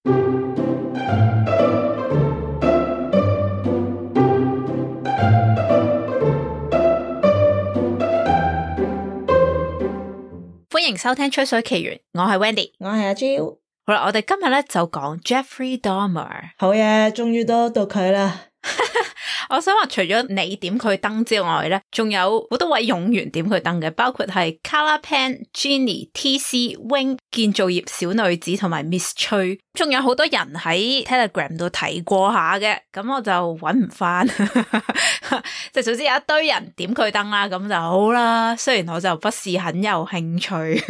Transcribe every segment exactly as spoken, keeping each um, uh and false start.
歡迎收聽吹水奇緣，我係 Wendy， 我係阿 Jo。好啦，我哋今日咧就講 Jeffrey Dahmer。好嘢，終於都到佢啦。我想話除咗你點佢燈之外咧，仲有好多位勇員點佢燈嘅，包括係 Carla Pen、Ginny、T C、Wing、建造業小女子同埋 Miss 崔，仲有好多人喺 Telegram 度提過下嘅，咁我就搵唔翻，即係總之有一堆人點佢燈啦，咁就好啦。雖然我就不是很有興趣。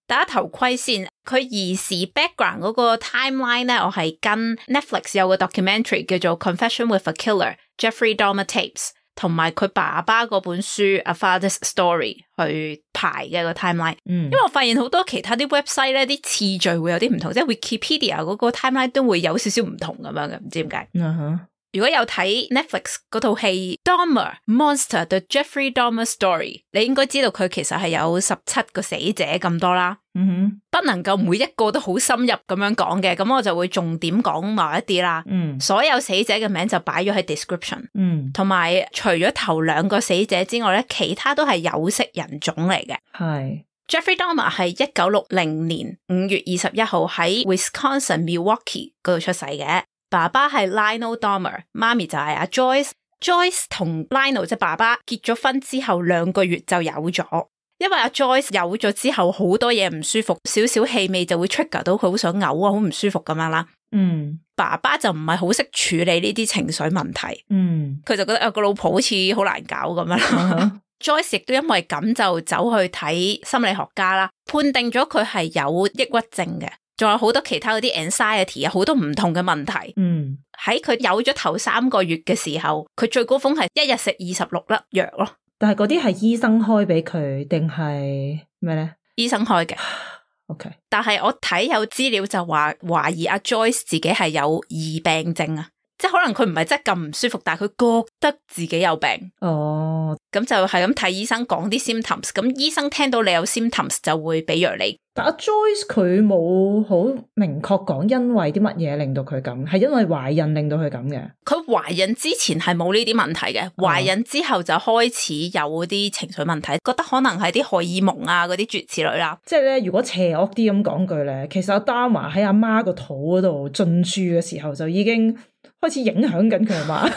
戴下頭盔先，佢兒時 background 嗰個 timeline 咧，我係跟 Netflix 有個 documentary 叫做 Confession with a Killer Jeffrey Dahmer Tapes， 同埋佢爸爸嗰本書 A Father's Story 去排嘅個 timeline。嗯，因為我發現好多其他啲 website 咧，啲次序會有啲唔同，即係 Wikipedia 嗰個 timeline 都會有少少唔同咁樣嘅，唔知點解。嗯哼。如果有睇 Netflix 嗰套戲 Dahmer Monster The Jeffrey Dahmer Story， 你應該知道佢其實係有十七個死者咁多啦。嗯哼，不能夠每一個都好深入咁樣講嘅，咁我就會重點講某一啲啦。嗯，所有死者嘅名就擺咗喺 description。嗯，同埋除咗頭兩個死者之外咧，其他都係有色人種嚟嘅。係 Jeffrey Dahmer 係一九六零年五月二十一號喺 Wisconsin Milwaukee 嗰度出世嘅。爸爸係 Lionel Dahmer， 媽咪就係阿 Joyce。Joyce 同 Lionel 即係爸爸結咗婚之後兩個月就有咗，因為阿 Joyce 有咗之後好多嘢唔舒服，少少氣味就會 trigger 到佢好想嘔啊，好唔舒服咁樣啦。嗯，爸爸就唔係好識處理呢啲情緒問題。嗯，佢就覺得啊個老婆好似好難搞咁樣啦。Uh-huh. Joyce 亦都因為咁就走去睇心理學家啦，判定咗佢係有抑鬱症嘅。仲有好多其他嗰啲 anxiety 啊，好多唔同嘅問題。嗯，喺佢有咗頭三個月嘅時候，佢最高峰係一日食二十六粒藥咯。但係嗰啲係醫生開俾佢定係咩咧？醫生開嘅。OK。但係我睇有資料就話懷疑阿 Joyce 自己係有疑病症啊，即係可能佢唔係真係咁唔舒服，但係佢覺得自己有病。哦。咁就係咁睇醫生講啲 symptoms， 咁醫生聽到你有 symptoms 就會俾藥你。但阿 Joyce 佢冇好明確講因為啲乜嘢令到佢咁，係因為懷孕令到佢咁嘅。佢懷孕之前係冇呢啲問題嘅，懷孕之後就開始有啲情緒問題，覺得可能係啲荷爾蒙啊嗰啲諸如此類啦。即係咧，如果邪惡啲咁講句咧，其實阿 Dahmer 喺阿媽個肚嗰度進駐嘅時候就已經開始影響緊佢阿媽。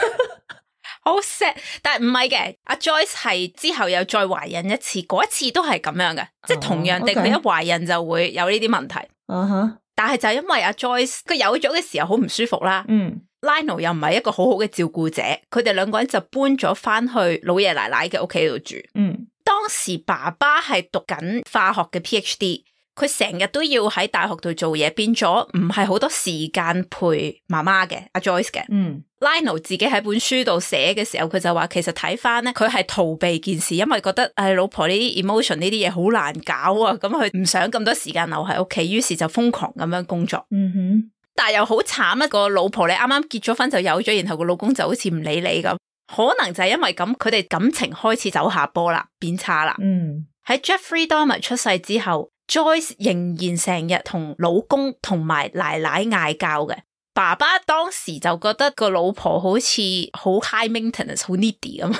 好 sad， 但係唔係嘅，阿 Joyce 係之後又再懷孕一次，嗰一次都係咁樣嘅，即係同樣地，佢、oh, okay. 一懷孕就會有呢啲問題。Uh -huh. 但係就係因為阿 Joyce 佢有咗嘅時候好唔舒服啦。嗯、mm.，Lionel 又唔係一個好好嘅照顧者，佢哋兩個人就搬咗翻去老爺奶奶嘅屋企度住。嗯、mm.，當時爸爸係讀緊化學嘅 P H D。佢成日都要喺大學度做嘢，變咗唔係好多時間陪媽媽嘅阿 Joyce 嘅。嗯 ，Lionel 自己喺本書度寫嘅時候，佢就話其實睇翻咧，佢係逃避件事，因為覺得誒、哎、老婆呢啲 emotion 呢啲嘢好難搞啊，咁佢唔想咁多時間留喺屋企，於是就瘋狂咁樣工作。嗯哼，但係又好慘一個老婆，你啱啱結咗婚就有咗，然後個老公就好似唔理你咁，可能就係因為咁，佢哋感情開始走下坡啦，變差啦。嗯，喺 Jeffrey Dahmer 出世之後。Joyce 仍然成日同老公同埋奶奶嗌交嘅，爸爸當時就覺得個老婆好似好 high maintenance 好 needy 咁，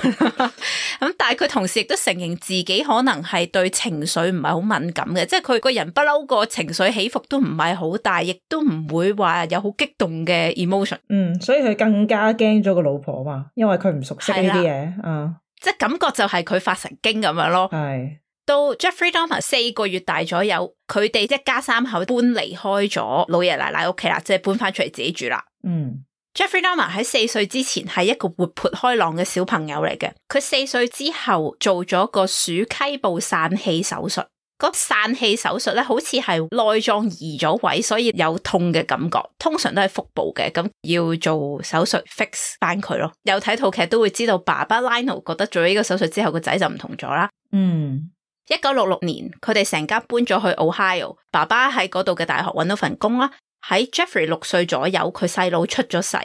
咁但係佢同時亦都承認自己可能係對情緒唔係好敏感嘅，即係佢個人不嬲個情緒起伏都唔係好大，亦都唔會話有好激動嘅 emotion。嗯，所以佢更加驚咗個老婆嘛，因為佢唔熟悉呢啲嘢，嗯，即係感覺就係佢發神經咁樣咯。係。到 Jeffrey Dahmer 四個月大左右，佢哋一家三口搬離開咗老爺奶奶屋企啦，即係搬翻出嚟自己住啦。嗯 ，Jeffrey Dahmer 喺四歲之前係一個活潑開朗嘅小朋友嚟嘅。佢四歲之後做咗個鼠蹊部散氣手術。個散氣手術咧，好似係內臟移咗位，所以有痛嘅感覺。通常都係腹部嘅，咁要做手術 fix 翻佢咯。有睇套劇都會知道，爸爸 Lionel 覺得做咗呢個手術之後，個仔就唔同咗啦。嗯。一九六六年，佢哋成家搬咗去 Ohio， 爸爸喺嗰度嘅大學搵到份工啦。喺 Jeffrey 六歲左右，佢細佬出咗世，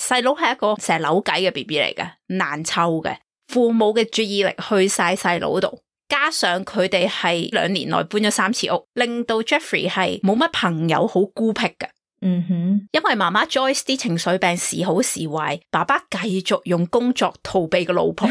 細佬係一個成日扭計嘅 B B 嚟嘅，難湊嘅，父母嘅注意力去晒細佬度。加上佢哋係兩年內搬咗三次屋，令到 Jeffrey 係冇乜朋友，好孤僻嘅。嗯哼，因為媽媽 Joyce 啲情緒病時好時壞，爸爸繼續用工作逃避個老婆，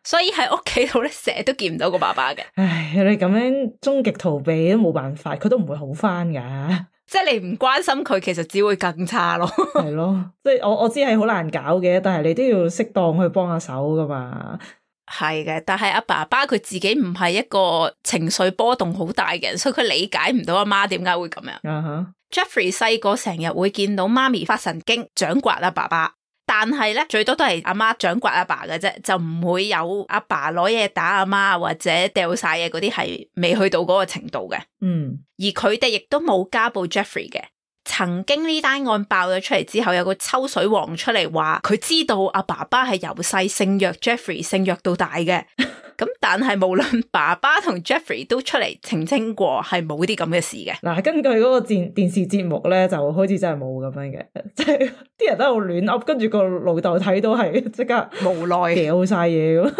所以喺屋企度咧成日都見唔到個爸爸嘅。唉，你咁樣終極逃避都冇辦法，佢都唔會好翻噶。即係你唔關心佢，其實只會更差咯。係咯，即係我我知係好難搞嘅，但係你都要適當去幫下手噶嘛。係嘅，但係阿爸爸佢自己唔係一個情緒波動好大嘅人，所以佢理解唔到阿媽點解會咁樣。Uh huh. Jeffrey 細個成日會見到媽咪發神經掌摑阿爸爸，但係咧最多都係阿媽掌摑阿爸嘅啫，就唔會有阿爸攞嘢打阿媽或者掉晒嘢嗰啲，係未去到嗰個程度嘅。嗯，而佢哋亦都冇家暴 Jeffrey 嘅。曾經呢單案爆咗出嚟之後，有個抽水王出嚟話佢知道阿爸爸係由細性虐 Jeffrey 性虐到大嘅。咁但係無論爸爸同 Jeffrey 都出嚟澄清過係冇啲咁嘅事嘅。嗱，根據嗰個電電視節目咧，就好似真係冇咁樣嘅，即係啲人都喺度亂噏，跟住個老豆睇到係即刻無奈掉晒嘢咁。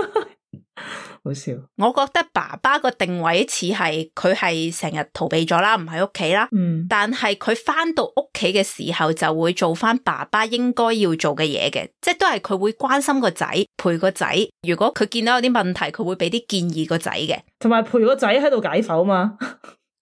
好笑，我覺得爸爸個定位似係佢係成日逃避咗啦，唔喺屋企啦。嗯，但係佢翻到屋企嘅時候就會做翻爸爸應該要做嘅嘢嘅，即係都係佢會關心個仔，陪個仔。如果佢見到有啲問題，佢會俾啲建議個仔嘅，同埋陪個仔喺度解剖嘛。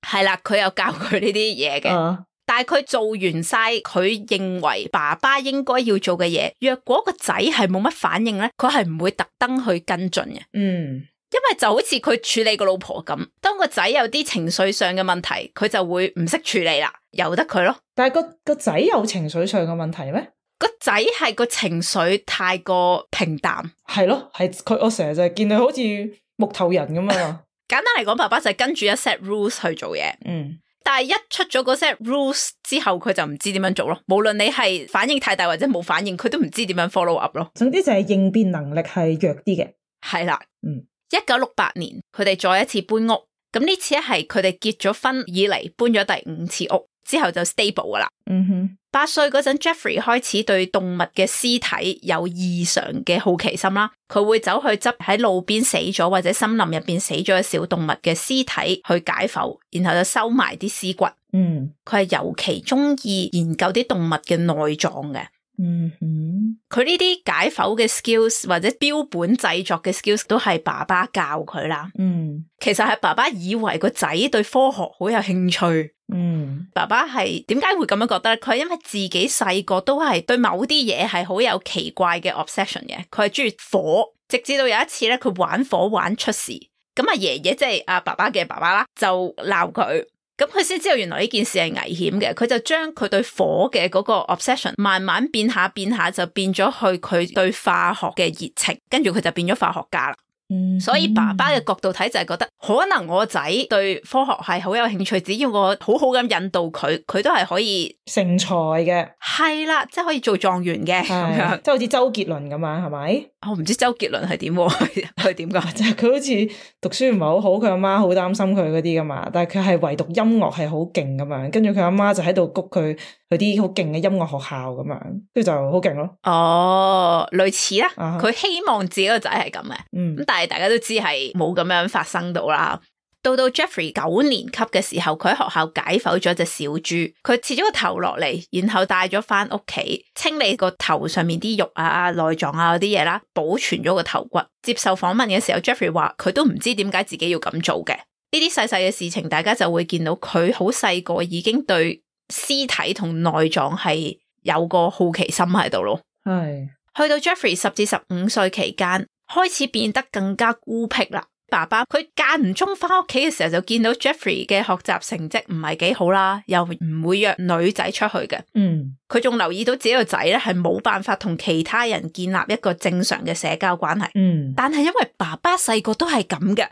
係啦，佢有教佢呢啲嘢嘅。Uh. 但係佢做完晒佢認為爸爸應該要做嘅嘢，若果個仔係冇乜反應咧，佢係唔會特登去跟進嘅。嗯，因為就好似佢處理個老婆咁，當個仔有啲情緒上嘅問題，佢就會唔識處理啦，由得佢咯。但係個個仔有情緒上嘅問題咩？個仔係個情緒太過平淡。係咯，係佢我成日就係見佢好似木頭人咁啊。簡單嚟講，爸爸就係跟住一 set rules 去做嘢。嗯。但係一出咗嗰 set rules 之後，佢就唔知點樣做咯。無論你係反應太大或者冇反應，佢都唔知點樣 follow up 咯。總之就係應變能力係弱啲嘅。係啦，嗯，一九六八年佢哋再一次搬屋，咁呢次係佢哋結咗婚以嚟搬咗第五次屋，之後就 stable 噶啦。嗯哼，八歲嗰陣 Jeffrey 開始對動物嘅屍體有異常嘅好奇心啦，佢會走去執喺路邊死咗或者森林入邊死咗嘅小動物嘅屍體去解剖，然後就收埋啲屍骨。嗯，佢係尤其中意研究啲動物嘅內臟嘅。嗯哼，佢呢啲解剖嘅 skills 或者標本製作嘅 skills 都係爸爸教佢啦。嗯，其實係爸爸以為個仔對科學好有興趣。嗯，爸爸係點解會咁樣覺得咧？佢係因為自己細個都係對某啲嘢係好有奇怪嘅 obsession 嘅，佢係中意火，直至到有一次咧，佢玩火玩出事，咁阿爺爺即係阿爸爸嘅爸爸啦，就鬧佢，咁佢先知道原來呢件事係危險嘅，佢就將佢對火嘅嗰個 obsession 慢慢變下變下，就變咗去佢對化學嘅熱情，跟住佢就變咗化學家啦。嗯，所以爸爸嘅角度睇就係覺得，可能我仔對科學係好有興趣，只要我好好咁引導佢，佢都係可以成才嘅。係啦，即係可以做狀元嘅咁樣，即係好似周杰倫咁樣，係咪？我唔知周杰倫係點，佢點噶？即係佢好似讀書唔係好好，佢阿媽好擔心佢嗰啲噶嘛，但係佢係唯獨音樂係好勁咁樣，跟住佢阿媽就喺度谷佢去啲好勁嘅音樂學校咁樣，跟住就好勁咯。哦，類似啦，佢、uh huh. 希望自己個仔係咁嘅，咁、嗯、但係大家都知係冇咁樣發生到啦。到到 Jeffrey 九年級嘅時候，佢喺學校解剖咗隻小豬，佢切咗個頭落嚟，然後帶咗翻屋企，清理個頭上面啲肉啊、內臟啊嗰啲嘢啦，保存咗個頭骨。接受訪問嘅時候 Jeffrey 話佢都唔知點解自己要咁做嘅。呢啲細細嘅事情，大家就會見到佢好細個已經對屍體同內臟係有個好奇心喺度咯。係去到 Jeffrey 十至十五歲期間，開始變得更加孤僻啦。爸爸佢間唔中翻屋企嘅時候就見到 Jeffrey 嘅學習成績唔係幾好啦，又唔會約女仔出去嘅。嗯，佢仲留意到自己個仔咧係冇辦法同其他人建立一個正常嘅社交關係。嗯，但係因為爸爸細個都係咁嘅，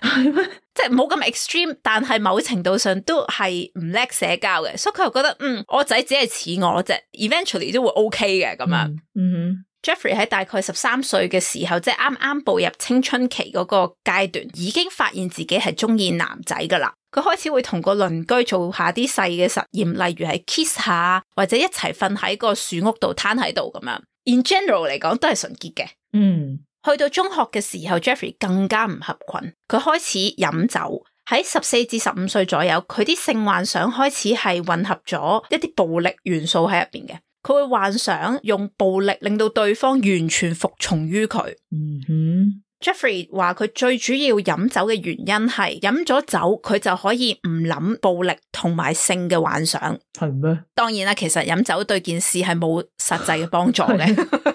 即係冇咁 extreme，但係某程度上都係唔叻社交嘅，所以佢又覺得嗯，我仔只係似我啫 ，eventually 都會 OK 嘅咁樣。嗯哼。Jeffrey 喺大概十三歲嘅時候，即係啱啱步入青春期嗰個階段，已經發現自己係中意男仔噶啦。佢開始會同個鄰居做下啲細嘅實驗，例如係 kiss 下，或者一齊瞓喺個樹屋度攤喺度咁樣。In general 嚟講都係純潔嘅。嗯，去到中學嘅時候 Jeffrey 更加唔合群，佢開始飲酒。喺十四至十五歲左右，佢啲性幻想開始係混合咗一啲暴力元素喺入邊嘅。佢會幻想用暴力令到對方完全服從於佢。嗯哼。Jeffrey 話佢最主要飲酒嘅原因係飲咗酒佢就可以唔諗暴力同埋性嘅幻想。係咩？當然啦，其實飲酒對件事係冇實際嘅幫助嘅。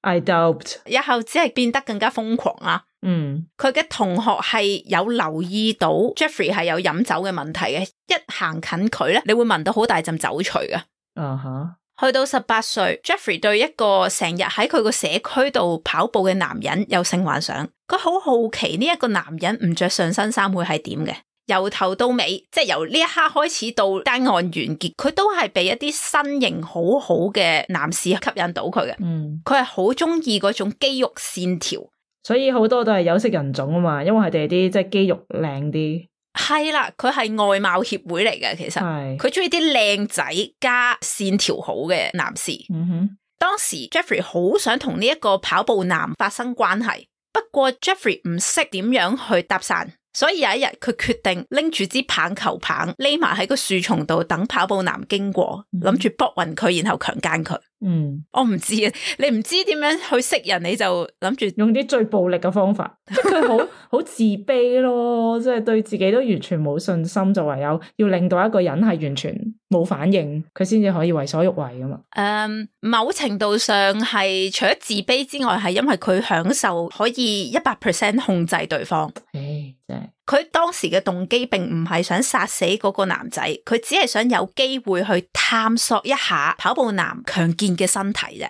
I doubt。日後只係變得更加瘋狂啦。嗯，佢嘅同學係有留意到 Jeffrey 係有飲酒嘅問題嘅，一行近佢咧，你會聞到好大陣酒除嘅。啊哈。去到十八歲 Jeffrey 對一個成日喺佢個社區度跑步嘅男人有性幻想，佢好好奇呢一個男人唔着上身衫會係點嘅。由頭到尾，即係由呢一刻開始到單案完結，佢都係被一啲身形好好嘅男士吸引到佢嘅。嗯，佢係好中意嗰種肌肉線條，所以好多都係有色人種啊嘛，因為佢哋啲即係肌肉靚啲。係啦，佢係外貌協會嚟嘅，其實佢中意啲靚仔加線條好嘅男士。嗯哼，當時 Jeffrey 好想同呢一個跑步男發生關係，不過 Jeffrey 唔識點樣去搭訕。所以有一日佢決定拎住支棒球棒匿埋喺個樹叢度等跑步男經過，諗住搏暈佢然後強姦佢。嗯，我唔知啊，你唔知點樣去識人，你就諗住用啲最暴力嘅方法，即係佢好好自卑咯，即係對自己都完全冇信心，就唯有要令到一個人係完全冇反應，佢先至可以為所欲為噶嘛。誒、um, 某程度上係除咗自卑之外，係因為佢享受可以一百 percent 控制對方。誒，真係佢當時嘅動機並唔係想殺死嗰個男仔，佢只係想有機會去探索一下跑步男強健嘅身體啫。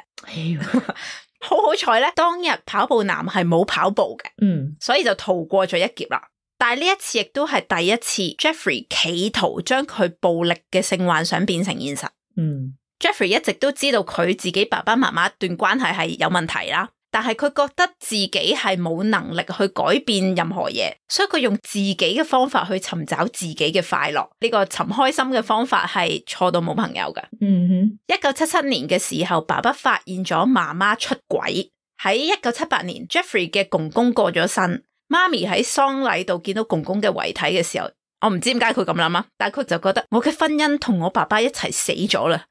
好好彩咧，當日跑步男係冇跑步嘅，嗯，所以就逃過咗一劫啦。但係呢一次亦都係第一次 Jeffrey 企圖將佢暴力嘅性幻想變成現實。嗯 ，Jeffrey 一直都知道佢自己爸爸媽媽一段關係係有問題啦。但係佢覺得自己係冇能力去改變任何嘢，所以佢用自己嘅方法去尋找自己嘅快樂。呢個尋開心嘅方法係錯到冇朋友㗎。嗯哼，一九七七年嘅時候，爸爸發現咗媽媽出軌。喺一九七八年 ，Jeffrey 嘅公公過咗身，媽咪喺喪禮度見到公公嘅遺體嘅時候，我唔知點解佢咁諗啊，但係佢就覺得我嘅婚姻同我爸爸一齊死咗啦，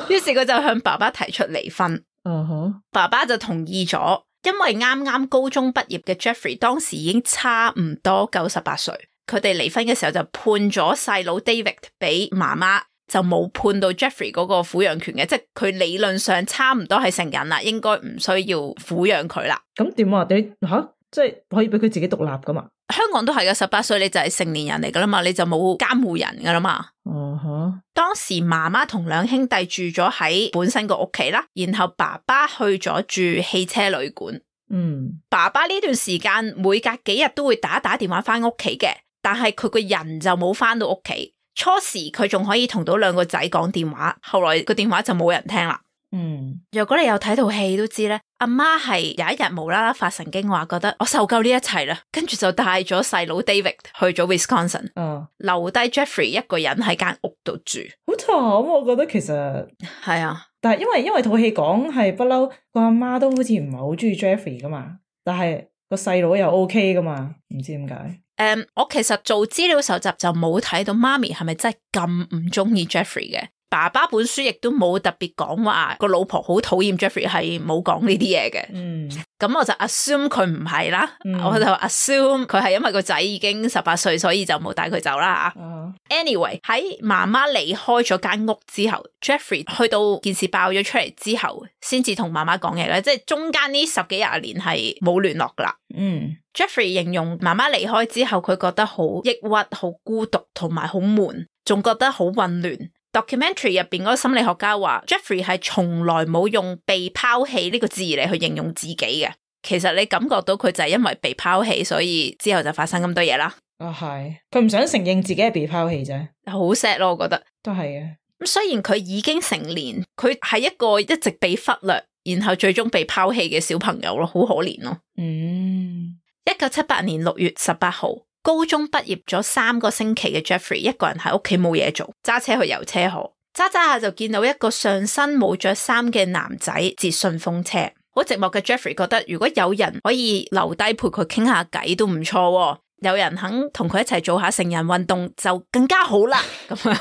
於是佢就向爸爸提出離婚。Uh huh. 爸爸就同意咗，因為啱啱高中畢業嘅 Jeffrey 當時已經差唔多九十八歲，佢哋離婚嘅時候就判咗細佬 David 俾媽媽，就冇判到 Jeffrey 嗰個撫養權嘅，即係佢理論上差唔多係成人啦，應該唔需要撫養佢啦。咁點啊？你吓即係可以俾佢自己獨立噶嘛？香港都係嘅，十八歲你就係成年人嚟噶啦嘛，你就冇監護人噶啦嘛。哦哈、uh！Huh. 當時媽媽同兩兄弟住咗喺本身個屋企啦，然後爸爸去咗住汽車旅館。嗯，爸爸呢段時間每隔幾日都會打打電話翻屋企嘅，但係佢個人就冇翻到屋企。初時佢仲可以同到兩個仔講電話，後來個電話就冇人聽啦。嗯，如果你有睇套戲都知咧，阿媽係有一日無啦啦發神經話覺得我受夠呢一切啦，跟住就帶咗細佬 David 去咗 Wisconsin，嗯，留低 Jeffrey 一個人喺間屋度住。好慘，我覺得其實係啊，但係因為因為套戲講係不嬲個阿媽都好似唔係好中意 Jeffrey 噶嘛，但係個細佬又 OK 噶嘛，唔知點解。誒，um, 我其實做資料搜集就冇睇到媽咪係咪真係咁唔中意 Jeffrey 嘅。爸爸本書亦都冇特別講話個老婆好討厭 Jeffrey， 係冇講呢啲嘢嘅。嗯，咁我就 assume 佢唔係啦，嗯、我就 assume 佢係因為個仔已經十八歲，所以就冇帶佢走啦。嗯、anyway 喺媽媽離開咗間屋之後 ，Jeffrey 去到件事爆咗出嚟之後，先至同媽媽講嘢嘅，即係中間呢十幾廿年係冇聯絡噶啦。嗯 ，Jeffrey 形容媽媽離開之後，佢覺得好抑鬱、好孤獨同埋好悶，仲覺得好混亂。documentary 入邊嗰個心理學家話 Jeffrey 係從來冇用被拋棄呢個字嚟去形容自己嘅，其實你感覺到佢就係因為被拋棄，所以之後就發生咁多嘢啦。啊係，佢唔想承認自己係被拋棄啫，好 sad 咯，我覺得都係嘅。咁雖然佢已經成年，佢係一個一直被忽略，然後最終被拋棄嘅小朋友咯，好可憐咯。嗯，一九七八年六月十八號。高中畢業咗三個星期嘅 Jeffrey 一個人喺屋企冇嘢做，揸車去遊車河，揸揸下就見到一個上身冇着衫嘅男仔截順風車，好好寂寞嘅 Jeffrey 覺得如果有人可以留低陪佢傾下偈都唔錯喎，有人肯同佢一齊做下成人運動就更加好啦。咁樣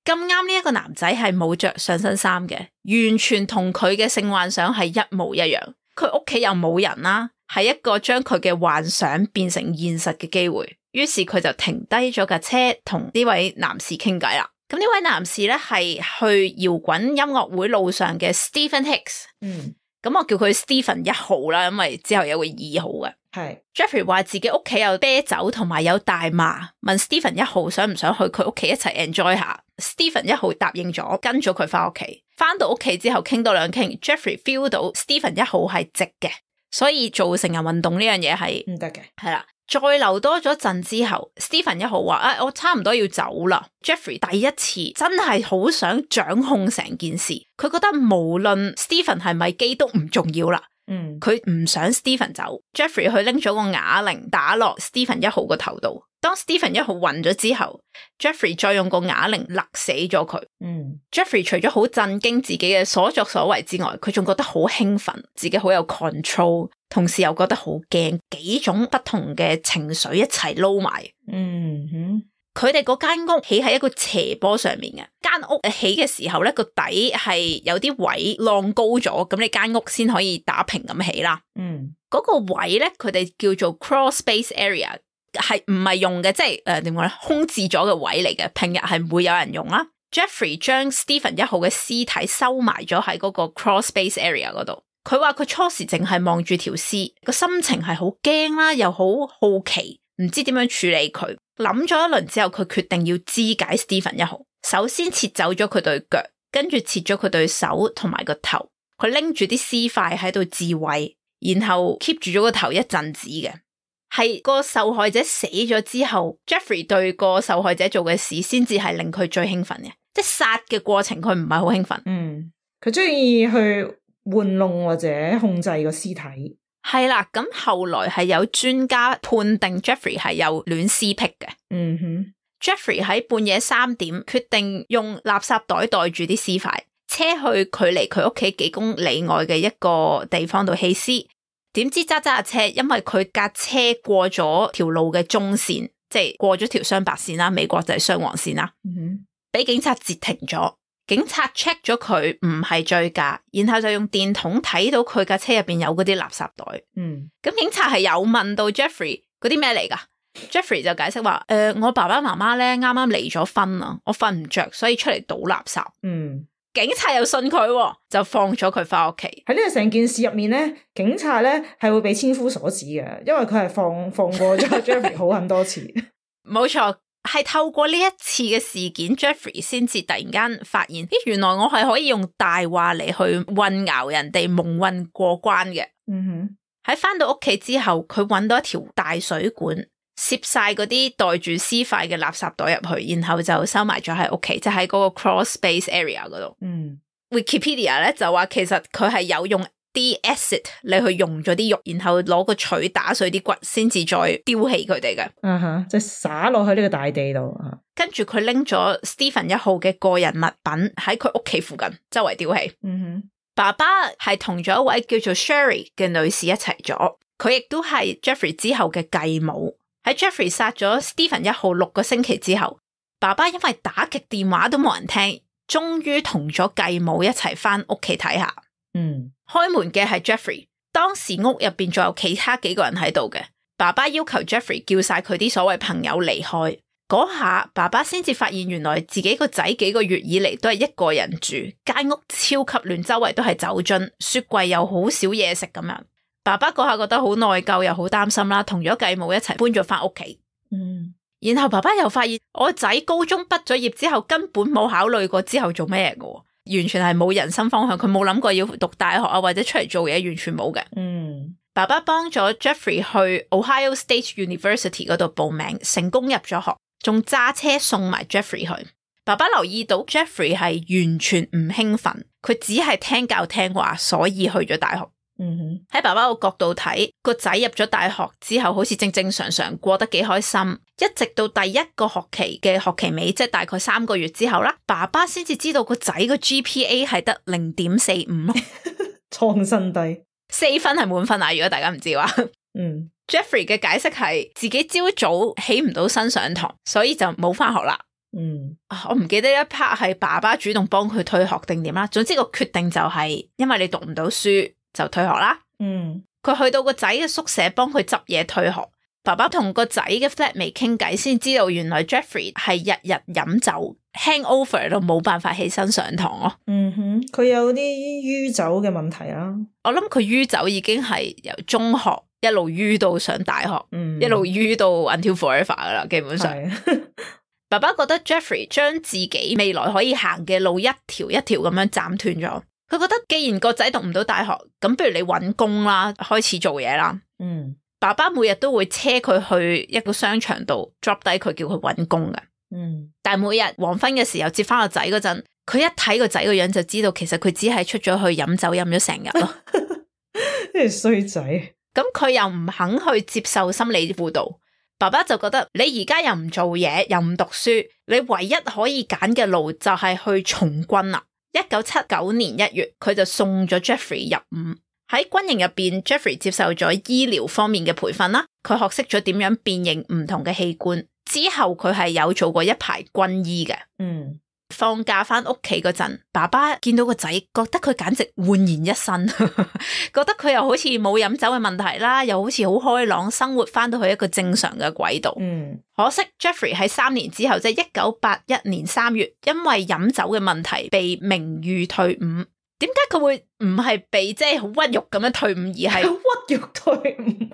咁啱呢一個男仔係冇着上身衫嘅，完全同佢嘅性幻想係一模一樣。佢屋企又冇人啦，係一個將佢嘅幻想變成現實嘅機會。於是佢就停低咗架車同呢位男士傾偈啦。咁呢位男士咧係去搖滾音樂會路上嘅 Stephen Hicks。嗯，咁我叫佢 Stephen 一號啦，因為之後有個二號嘅。係 Jeffrey 話自己屋企有啤酒同埋有大麻，問 Stephen 一號想唔想去佢屋企一齊 enjoy 下。Stephen 一號答應咗，跟咗佢翻屋企。翻到屋企之後傾多兩傾 ，Jeffrey feel 到 Stephen 一號係直嘅，所以做成人運動呢樣嘢係唔得嘅。係啦。再留多咗陣之後 Stephen 一號話啊，我差唔多要走啦。Jeffrey 第一次真係好想掌控成件事，佢覺得無論 Stephen 係咪基督唔重要啦。嗯，佢唔想 Stephen 走。Jeffrey 去拎咗個啞鈴打落 Stephen 一號個頭度。當 Stephen 一號暈咗之後 ，Jeffrey 再用個啞鈴勒死咗佢。嗯 ，Jeffrey 除咗好震驚自己嘅所作所為之外，佢仲覺得好興奮，自己好有 control， 同時又覺得好驚，幾種不同嘅情緒一齊撈埋。嗯哼，佢哋嗰間屋起喺一個斜坡上面嘅，間屋起嘅時候咧個底係有啲位浪高咗，咁你間屋先可以打平咁起啦。嗯，嗰個位咧佢哋叫做 crawl space area。係唔係用嘅，即係誒點講咧，空置咗嘅位嚟嘅，平日係唔會有人用啦。Jeffrey 將 Stephen 一號嘅屍體收埋咗喺嗰個 crawl space area 嗰度。佢話佢初時淨係望住條屍，個心情係好驚啦，又好好奇，唔知點樣處理佢。諗咗一輪之後，佢決定要肢解 Stephen 一號。首先切走咗佢對腳，跟住切咗佢對手同埋個頭。佢拎住啲屍塊喺度自慰，然後 keep 住咗個頭一陣子嘅。係個受害者死咗之後 Jeffrey 對個受害者做嘅事先至係令佢最興奮嘅，即係殺嘅過程佢唔係好興奮。嗯，佢中意去玩弄或者控制個屍體。係啦，咁後來係有專家判定 Jeffrey 係有戀屍癖嘅。嗯哼 Jeffrey 喺半夜三點決定用垃圾袋袋住啲屍塊，車去距離佢屋企幾公里外嘅一個地方度棄屍。點知揸揸下車，因為佢架車過咗條路嘅中線，即係過咗條雙白線啦，美國就係雙黃線啦，俾、嗯、警察截停咗。警察 check 咗佢唔係醉駕，然後就用電筒睇到佢架車入邊有嗰啲垃圾袋。嗯，咁警察係有問到 Jeffrey 嗰啲咩嚟噶？Jeffrey 就解釋話：誒、呃，我爸爸媽媽咧啱啱離咗婚啊，我瞓唔着，所以出嚟倒垃圾。嗯。警察又信佢，就放咗佢翻屋企。喺呢個成件事入面咧，警察咧係會被千夫所指嘅，因為佢係放放過咗 Jeffrey 好很多次。冇錯，係透過呢一次嘅事件 ，Jeffrey 先至突然間發現，咦，原來我係可以用大話嚟去混淆人哋，蒙混過關嘅。嗯哼，喺翻到屋企之後，佢揾到一條大水管，攝晒嗰啲袋住屍塊嘅垃圾袋入去，然後就收埋咗喺屋企，就喺嗰個 crawl space area 嗰度。嗯 ，Wikipedia 咧就話其實佢係有用啲 acid 嚟去溶咗啲肉，然後攞個錘打碎啲骨，先至再丟棄佢哋嘅。嗯哼，即係灑落去呢個大地度。跟住佢拎咗 Stephen 一號嘅個人物品喺佢屋企附近周圍丟棄。嗯哼，爸爸係同咗一位叫做 Sherry 嘅女士一齊咗，佢亦都係 Jeffrey 之後嘅繼母。喺 Jeffrey 殺咗 Stephen 一號六個星期之後，爸爸因為打極電話都冇人聽，終於同咗繼母一齊翻屋企睇下。嗯，開門嘅係 Jeffrey， 當時屋入邊仲有其他幾個人喺度嘅。爸爸要求 Jeffrey 叫晒佢啲所謂朋友離開。嗰下爸爸先至發現，原來自己個仔幾個月以嚟都係一個人住，間屋超級亂，周圍都係酒樽，雪櫃又好少嘢食咁樣。爸爸嗰下覺得好內疚又好擔心啦，同咗繼母一齊搬咗翻屋企。嗯，然後爸爸又發現我仔高中畢咗業之後根本冇考慮過之後做咩嘅，完全係冇人生方向，佢冇諗過要讀大學啊或者出嚟做嘢，完全冇嘅。嗯，爸爸幫咗 Jeffrey 去 Ohio State University 嗰度報名，成功入咗學，仲揸車送埋 Jeffrey 去。爸爸留意到 Jeffrey 係完全唔興奮，佢只係聽教聽話，所以去咗大學。嗯哼，喺爸爸個角度睇，個仔入咗大學之後，好似正正常常過得幾開心，一直到第一個學期嘅學期尾，即係大概三個月之後啦，爸爸先至知道個仔個 G P A 係得零點四五咯。創新低，四分係滿分啊！如果大家唔知話，嗯 ，Jeffrey 嘅解釋係自己朝早起唔到身上堂，所以就冇翻學啦。嗯，我唔記得一 part 係爸爸主動幫佢退學定點啦。總之個決定就係因為你讀唔到書就退學啦。嗯，佢去到個仔嘅宿舍幫佢執嘢退學。爸爸同個仔嘅 flatmate 傾偈，先知道原來 Jeffrey 係日日飲酒 hangover 到冇辦法起身上堂咯。嗯哼，佢有啲酗酒嘅問題啦。我諗佢酗酒已經係由中學一路酗到上大學，嗯、一路酗到 until forever 噶啦，基本上。爸爸覺得 Jeffrey 將自己未來可以行嘅路一條一條咁樣斬斷咗。佢覺得既然個仔讀唔到大學，咁不如你搵工啦，開始做嘢啦。嗯。爸爸每日都會車佢去一個商場度 drop 低佢，叫佢搵工嘅。嗯，但係每日黃昏嘅時候接翻個仔嗰陣，佢一睇個仔個樣就知道，其實佢只係出咗去飲酒飲咗成日咯。呢個衰仔。咁佢又唔肯去接受心理輔導，爸爸就覺得你而家又唔做嘢，又唔讀書，你唯一可以揀嘅路就係去從軍啦。一九七九年一月，佢就送咗 Jeffrey 入伍。喺軍營入邊 Jeffrey 接受咗醫療方面嘅培訓啦，佢學識咗點樣辨認唔同嘅器官。之後佢係有做過一排軍醫嘅。嗯，放假翻屋企嗰陣，爸爸見到個仔，覺得佢簡直煥然一新，覺得佢又好似冇飲酒嘅問題啦，又好似好開朗，生活翻到去一個正常嘅軌道。嗯，可惜 Jeffrey 喺三年之後，即係一九八一年三月，因為飲酒嘅問題被名譽退伍。點解佢會唔係被即係好屈辱咁樣退伍，而係屈辱退伍？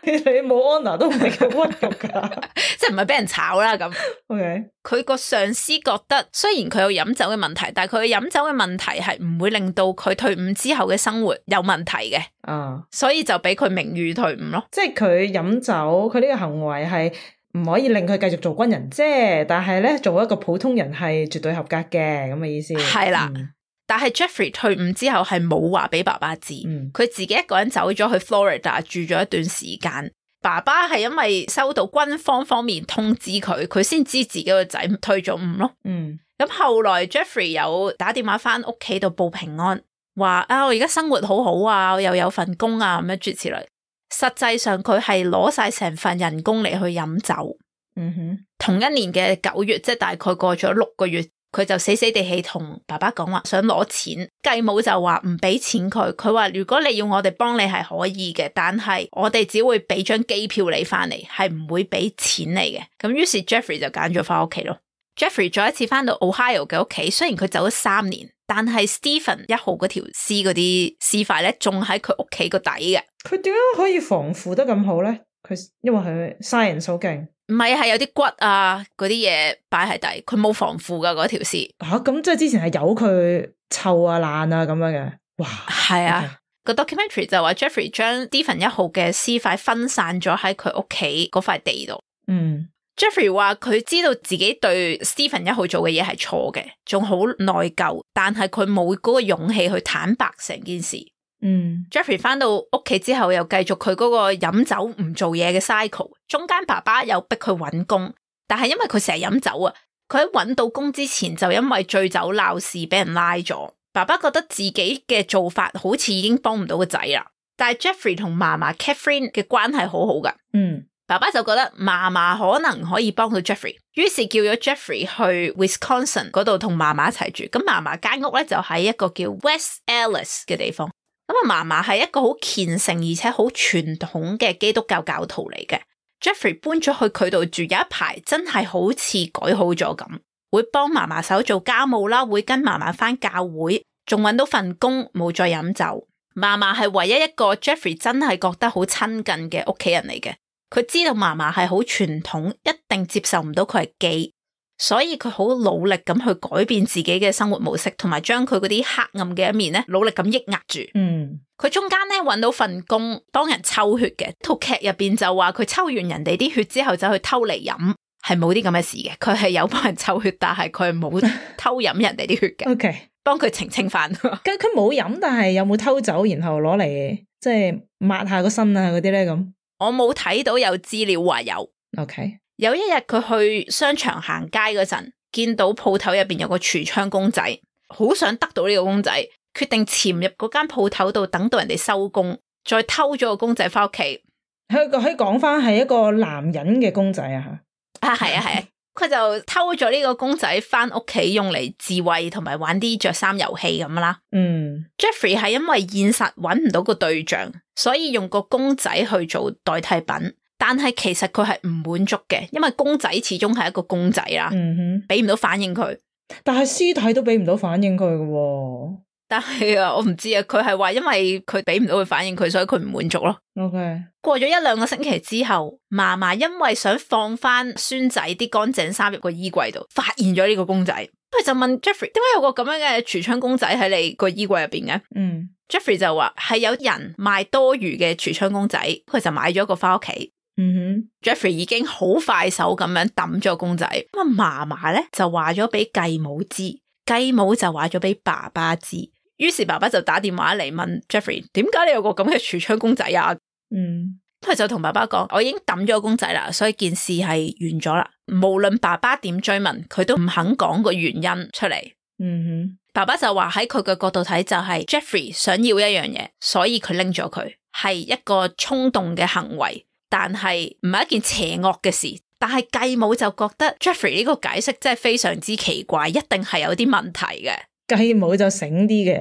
你冇 honor 都唔係叫屈辱噶，即係唔係俾人炒啦咁。OK，佢個上司覺得雖然佢有飲酒嘅問題，但係佢飲酒嘅問題係唔會令到佢退伍之後嘅生活有問題嘅。啊，所以就俾佢名譽退伍咯。即係佢飲酒，佢呢個行為係唔可以令佢繼續做軍人啫，但係咧做一個普通人係絕對合格嘅咁嘅意思。係啦。嗯，但係 Jeffrey 退伍之後係冇話俾爸爸知，佢、嗯、自己一個人走咗去 Florida 住咗一段時間。爸爸係因為收到軍方方面通知佢，佢先知自己個仔退咗伍咯。嗯，咁後來 Jeffrey 有打電話翻屋企度報平安，話啊我而家生活好好啊，我又有份工啊咁樣諸如此類。實際上佢係攞晒成份人工嚟去飲酒。嗯哼，同一年嘅九月，即係大概過咗六個月。佢就死死地氣同爸爸講話想攞錢，繼母就話唔俾錢佢，佢話如果你要我哋幫你係可以嘅，但係我哋只會俾張機票你翻嚟，係唔會俾錢你嘅。咁於是 Jeffrey 就揀咗翻屋企咯。Jeffrey 再一次翻到 Ohio 嘅屋企，雖然佢走咗三年，但係 Stephen 一號嗰條屍嗰啲屍塊咧，仲喺佢屋企個底嘅。佢點解可以防腐得咁好咧？佢因為佢 science 好勁。唔係，係有啲骨啊，嗰啲嘢擺喺底，佢冇防腐噶嗰條屍。吓，咁即係之前係由佢臭啊爛啊咁樣嘅。哇，係啊，個 documentary 就話 Jeffrey 將 Stephen 一號嘅屍塊分散咗喺佢屋企嗰塊地度。嗯 ，Jeffrey 話佢知道自己對 Stephen 一號做嘅嘢係錯嘅，仲好內疚，但係佢冇嗰個勇氣去坦白成件事。嗯 ，Jeffrey 翻到屋企之後又繼續佢嗰個飲酒唔做嘢嘅 cycle， 中間爸爸又逼佢搵工，但係因為佢成日飲酒啊，佢喺搵到工之前就因為醉酒鬧事俾人拉咗。爸爸覺得自己嘅做法好似已經幫唔到個仔啦，但係 Jeffrey 同嫲嫲 Catherine 嘅關係好好噶。嗯，爸爸就覺得嫲嫲可能可以幫到 Jeffrey， 於是叫咗 Jeffrey 去 Wisconsin 嗰度同嫲嫲一齊住。咁嫲嫲間屋咧就喺一個叫 West Allis 嘅地方。咁啊，嫲嫲係一個好虔誠而且好傳統嘅基督教教徒嚟嘅。Jeffrey 搬咗去佢度住，有一排真係好似改好咗咁，會幫嫲嫲手做家務啦，會跟嫲嫲返教會，仲搵到份工，冇再飲酒。嫲嫲係唯一一個 Jeffrey 真係覺得好親近嘅屋企人嚟嘅。佢知道嫲嫲係好傳統，一定接受唔到佢係基。所以佢好努力咁去改變自己嘅生活模式，同埋將佢嗰啲黑暗嘅一面咧，努力咁抑壓住。嗯，佢中間咧搵到份工，幫人抽血嘅。套劇入邊就話佢抽完人哋啲血之後，就去偷嚟飲，係冇啲咁嘅事嘅。佢係有幫人抽血，但係佢冇偷飲人哋啲血嘅。OK， 幫佢澄清翻。咁佢冇飲，但係有冇偷走，然後攞嚟即係抹下個身啊嗰啲咧咁？我冇睇到有資料話有。OK。有一日佢去商場行街嗰陣，見到鋪頭入邊有個櫥窗公仔，好想得到呢個公仔，決定潛入嗰間鋪頭度等到人哋收工，再偷咗個公仔翻屋企。佢可以講翻係一個男人嘅公仔啊？啊，係啊係啊，佢就偷咗呢個公仔翻屋企用嚟自慰同埋玩啲着衫遊戲咁啦。嗯 ，Jeffrey 係因為現實揾唔到個對象，所以用個公仔去做代替品。但係其實佢係唔滿足嘅，因為公仔始終係一個公仔啦，嗯哼，俾唔到反應佢。但係屍體都俾唔到反應佢嘅喎。但係啊，我唔知啊，佢係話因為佢俾唔到佢反應佢，所以佢唔滿足咯。OK，過咗一兩個星期之後，嫲嫲因為想放翻孫仔啲乾淨衫入個衣櫃度，發現咗呢個公仔，佢就問 Jeffrey 點解有個咁樣嘅櫥窗公仔喺你個衣櫃入邊嘅？嗯 ，Jeffrey 就話係有人賣多餘嘅櫥窗公仔，佢就買咗一個翻屋企。嗯哼 ，Jeffrey 已經好快手咁樣抌咗個公仔，咁啊嫲嫲咧就話咗俾繼母知，繼母就話咗俾爸爸知，於是爸爸就打電話嚟問 Jeffrey 點解你有個咁嘅櫥窗公仔啊？嗯，佢就同爸爸講，我已經抌咗個公仔啦，所以件事係完咗啦。無論爸爸點追問，佢都唔肯講個原因出嚟。嗯哼，爸爸就話喺佢嘅角度睇就係 Jeffrey 想要一樣嘢，所以佢拎咗佢，係一個衝動嘅行為。但係唔係一件邪惡嘅事，但係繼母就覺得 Jeffrey 呢個解釋真係非常之奇怪，一定係有啲問題嘅。繼母就醒啲嘅，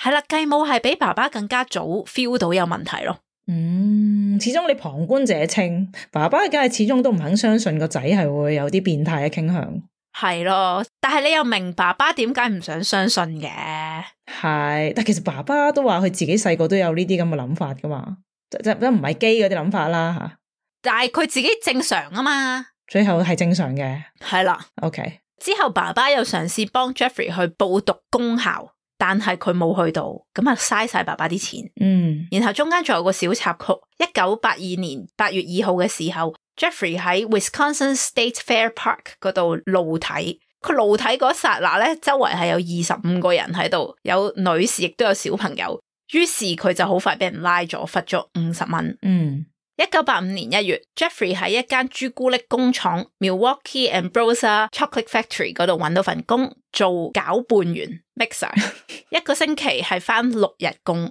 係啦，繼母係比爸爸更加早 feel 到有問題咯。嗯，始終你旁觀者清，爸爸梗係始終都唔肯相信個仔係會有啲變態嘅傾向。係咯，但係你又明爸爸點解唔想相信嘅？係，但其實爸爸都話佢自己細個都有呢啲咁嘅諗法噶嘛。即係唔係基嗰啲諗法啦吓，但係佢自己正常啊嘛，最後係正常嘅，係啦。OK，之後爸爸又嘗試幫 Jeffrey 去報讀公校，但係佢冇去到，咁啊嘥晒爸爸啲錢。嗯，然後中間仲有個小插曲，一九八二年八月二號嘅時候 ，Jeffrey 喺 Wisconsin State Fair Park 嗰度露體，佢露體嗰剎那咧，周圍係有二十五個人喺度，有女士亦都有小朋友。於是佢就好快俾人拉咗，罰咗五十蚊。嗯，一九八五年一月 ，Jeffrey 喺一間朱古力工廠 Milwaukee Ambrosia Chocolate Factory 嗰度揾到份工，做攪拌員 mixer， 一個星期係翻六日工，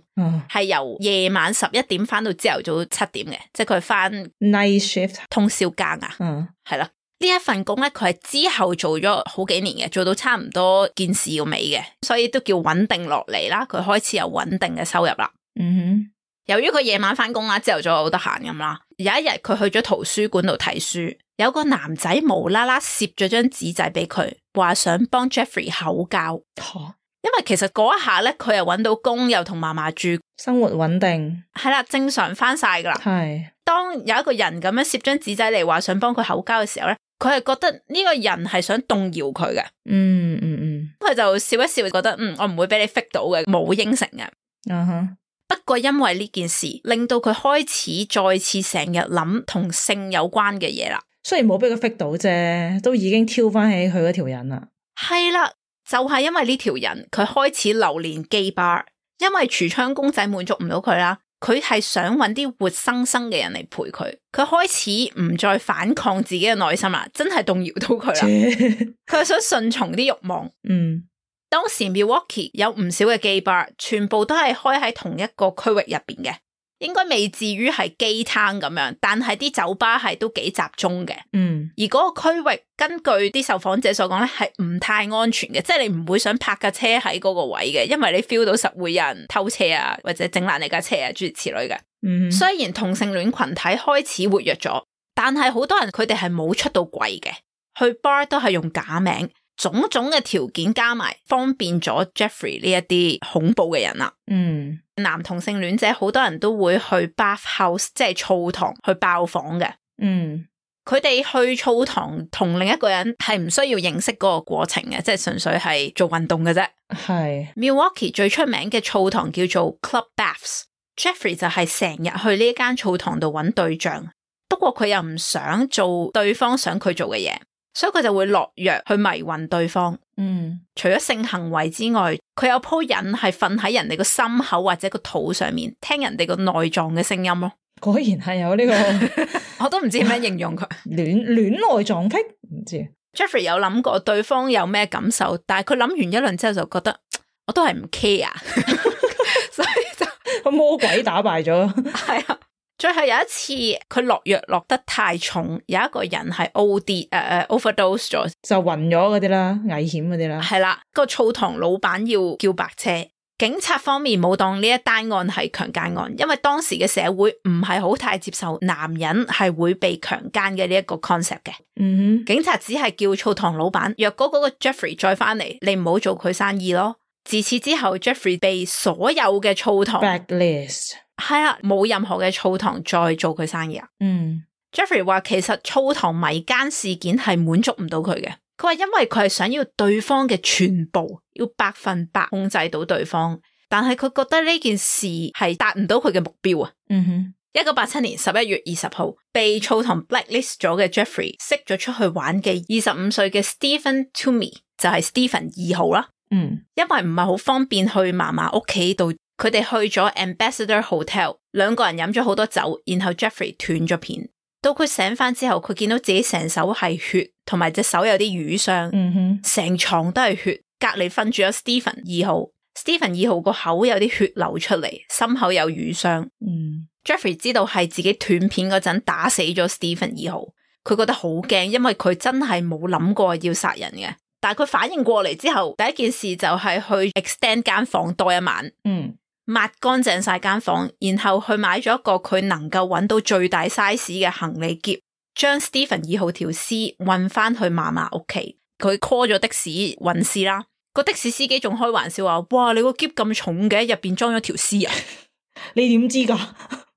係、嗯、由夜晚十一點翻到朝頭早七點嘅，即係佢翻 night shift 通宵更啊。嗯，係啦。呢一份工咧，佢係之後做咗好幾年嘅，做到差唔多件事要尾嘅，所以都叫穩定落嚟啦。佢開始有穩定嘅收入啦。嗯哼，由於佢夜晚翻工啦，朝頭早好得閒咁啦。有一日佢去咗圖書館度睇書，有個男仔無啦啦攝咗張紙仔俾佢，話想幫 Jeffrey 口交。哦，因為其實嗰一下咧，佢又搵到工，又同嫲嫲住，生活穩定，係啦，正常翻晒噶啦。係，當有一個人咁樣攝張紙仔嚟話想幫佢口交嘅時候咧，佢係覺得呢個人係想動搖佢嘅。嗯嗯嗯，佢就笑一笑，覺得嗯，我唔會俾你 fit 到嘅，冇應承嘅。嗯哼，不過因為呢件事，令到佢開始再次成日諗同性有關嘅嘢啦。雖然冇俾佢 fit 到啫，都已經挑翻起佢嗰條人啦。係啦，就係因為呢條人，佢開始流連 gay bar，因為櫥窗公仔滿足唔到佢啦。佢係想揾啲活生生嘅人嚟陪佢，佢開始唔再反抗自己嘅內心啦，真係動搖到佢啦。佢係想順從啲慾望。嗯，當時 Milwaukee 有唔少嘅 gay bar，全部都係開喺同一個區域入邊嘅，應該未至於係 gay town 咁樣，但係啲酒吧係都幾集中嘅。嗯，而嗰個區域根據啲受訪者所講咧，係唔太安全嘅，即係你唔會想泊架車喺嗰個位嘅，因為你 feel 到實會有人偷車啊，或者整爛你架車啊，諸如此類嘅。嗯，雖然同性戀群體開始活躍咗，但係好多人佢哋係冇出到櫃嘅，去 bar 都係用假名，種種嘅條件加埋，方便咗 Jeffrey 呢一啲恐怖嘅人啦。嗯，男同性戀者好多人都會去 bathhouse， 即係澡堂去爆房嘅。嗯，佢哋去澡堂同另一個人係唔需要認識嗰個過程嘅，即係純粹係做運動嘅啫。係 Milwaukee 最出名嘅澡堂叫做 Club Baths，Jeffrey 就係成日去呢間澡堂度揾對象，不過佢又唔想做對方想佢做嘅嘢，所以佢就會落藥去迷暈對方。嗯，除咗性行為之外，佢有鋪癮係瞓喺人哋個心口或者個肚上面，聽人哋個內臟嘅聲音咯。果然係有呢個，我都唔知點樣形容佢。戀戀內臟癖，唔知。Jeffrey 有諗過對方有咩感受，但係佢諗完一輪之後就覺得我都係唔 care， 所以就個魔鬼打敗咗。係啊，最後有一次佢落藥落得太重，有一個人係 O D 誒、uh, 誒 overdose 咗，就暈咗嗰啲啦，危險嗰啲啦。係啦，個澡堂老闆要叫白車。警察方面冇當呢一單案係強姦案，因為當時嘅社會唔係好太接受男人係會被強姦嘅呢一個 concept 嘅。嗯哼，警察只係叫澡堂老闆，若果嗰個 Jeffrey 再翻嚟，你唔好做佢生意咯。自此之後 Jeffrey 被所有嘅澡堂 blacklist， 係啊，冇任何嘅澡堂再做佢生意啊。嗯 Jeffrey 話其實澡堂迷姦事件係滿足唔到佢嘅。佢話因為佢係想要對方嘅全部，要百分百控制到對方，但係佢覺得呢件事係達唔到佢嘅目標啊。嗯哼，一九八七年十一月二十號，被澡堂 blacklist 咗嘅 Jeffrey 識咗出去玩嘅二十五歲嘅 Stephen Toomey 就係 Stephen 二號啦。嗯，因為唔係好方便去嫲嫲屋企度，佢哋去咗 Ambassador Hotel， 兩個人飲咗好多酒，然後 Jeffrey 斷咗片。到佢醒翻之後，佢見到自己成手係血，同埋隻手有啲瘀傷，嗯哼，成床都係血。隔籬瞓住咗 Stephen 二號 ，Stephen 二號個口有啲血流出嚟，心口有瘀傷。嗯 Jeffrey 知道係自己斷片嗰陣打死咗 Stephen 二號，佢覺得好驚，因為佢真係冇諗過要殺人嘅。但係佢反應過嚟之後，第一件事就係去 extend 間房多一晚，嗯，抹乾淨晒間房，然後去買咗一個佢能夠揾到最大 size 嘅行李篋，將 Stephen 二號條屍運翻去嫲嫲屋企。佢 call 咗的士運屍啦，個的士司機仲開玩笑話：哇，你個篋咁重嘅，入邊裝咗條屍啊！你點知噶？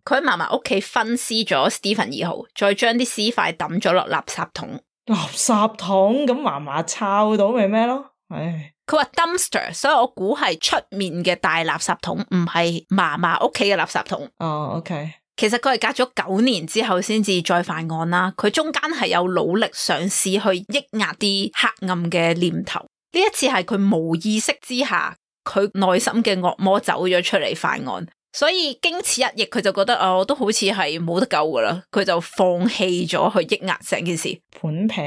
佢喺嫲嫲屋企分屍咗 Stephen 二號，再將啲屍塊抌咗落垃圾桶。垃圾桶咁嫲嫲抄到咪咩咯？唉，佢話 dumpster， 所以我估係出面嘅大垃圾桶，唔係嫲嫲屋企嘅垃圾桶。哦 ，OK。其實佢係隔咗九年之後先至再犯案啦。佢中間係有努力嘗試去抑壓啲黑暗嘅念頭。呢一次係佢無意識之下，佢內心嘅惡魔走咗出嚟犯案。所以經此一役，佢就覺得啊，我都好似係冇得救噶啦，佢就放棄咗去抑壓成件事。盤劈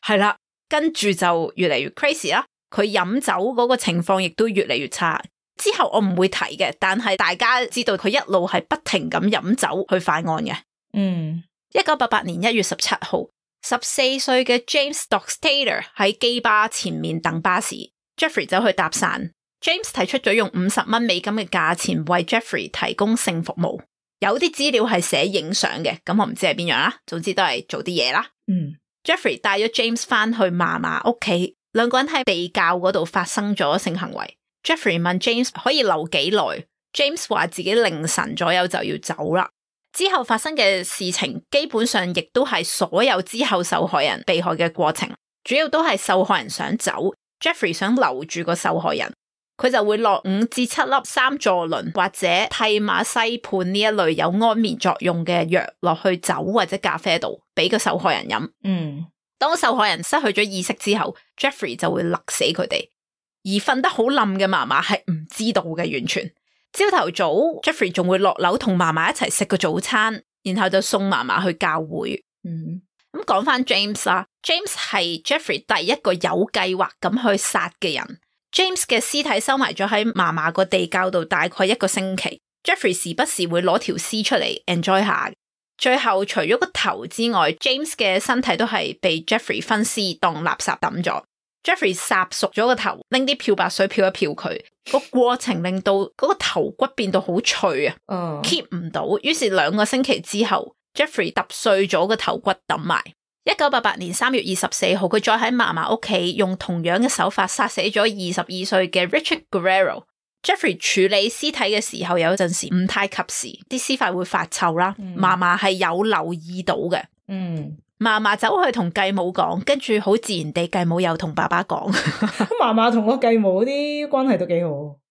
係啦，跟住就越嚟越 crazy 啦。佢飲酒嗰個情況亦都越嚟越差。之後我唔會提嘅，但係大家知道佢一路係不停咁飲酒去犯案嘅。嗯，一九八八年一月十七號，十四歲嘅 James Dockstader 喺基巴前面等巴士 ，Jeffrey 走去搭訕。James 提出咗用五十蚊美金嘅價錢為 Jeffrey 提供性服務，有啲資料係寫影相嘅，咁我唔知係邊樣啦，總之都係做啲嘢啦。嗯 Jeffrey 帶咗 James 翻去嫲嫲屋企，兩個人喺地窖嗰度發生咗性行為。Jeffrey 問 James 可以留幾耐 ，James 話自己凌晨左右就要走啦。之後發生嘅事情基本上亦都係所有之後受害人被害嘅過程，主要都係受害人想走 ，Jeffrey 想留住個受害人。佢就會落五至七粒三唑崙或者替馬西泮呢一類有安眠作用嘅藥落去酒或者咖啡度，俾個受害人飲。嗯，當受害人失去咗意識之後 ，Jeffrey 就會勒死佢哋。而瞓得好冧嘅嫲嫲係唔知道嘅，完全。朝頭早 ，Jeffrey 仲會落樓同嫲嫲一齊食個早餐，然後就送嫲嫲去教會。嗯，咁講翻 James 啦 ，James 係 Jeffrey 第一個有計劃咁去殺嘅人。James 嘅屍體收埋咗喺嫲嫲個地窖度大概一個星期 ，Jeffrey 時不時會攞條屍出嚟 enjoy 下。最後除咗個頭之外 ，James 嘅身體都係被 Jeffrey 分屍當垃圾抌咗。Jeffrey 烚熟咗個頭，拎啲漂白水漂一漂佢，個過程令到嗰個頭骨變到好脆啊、uh.，keep 唔到。於是兩個星期之後 ，Jeffrey 揼碎咗個頭骨抌埋。一九八八年三月二十四號，佢再喺嫲嫲屋企用同樣嘅手法殺死咗二十二歲嘅 Richard Guerrero。Jeffrey 處理屍體嘅時候有陣時唔太及時，啲屍塊會發臭啦。嫲嫲係有留意到嘅。嗯，嫲嫲走去同繼母講，跟住好自然地繼母又同爸爸講。咁嫲嫲同個繼母啲關係都幾好。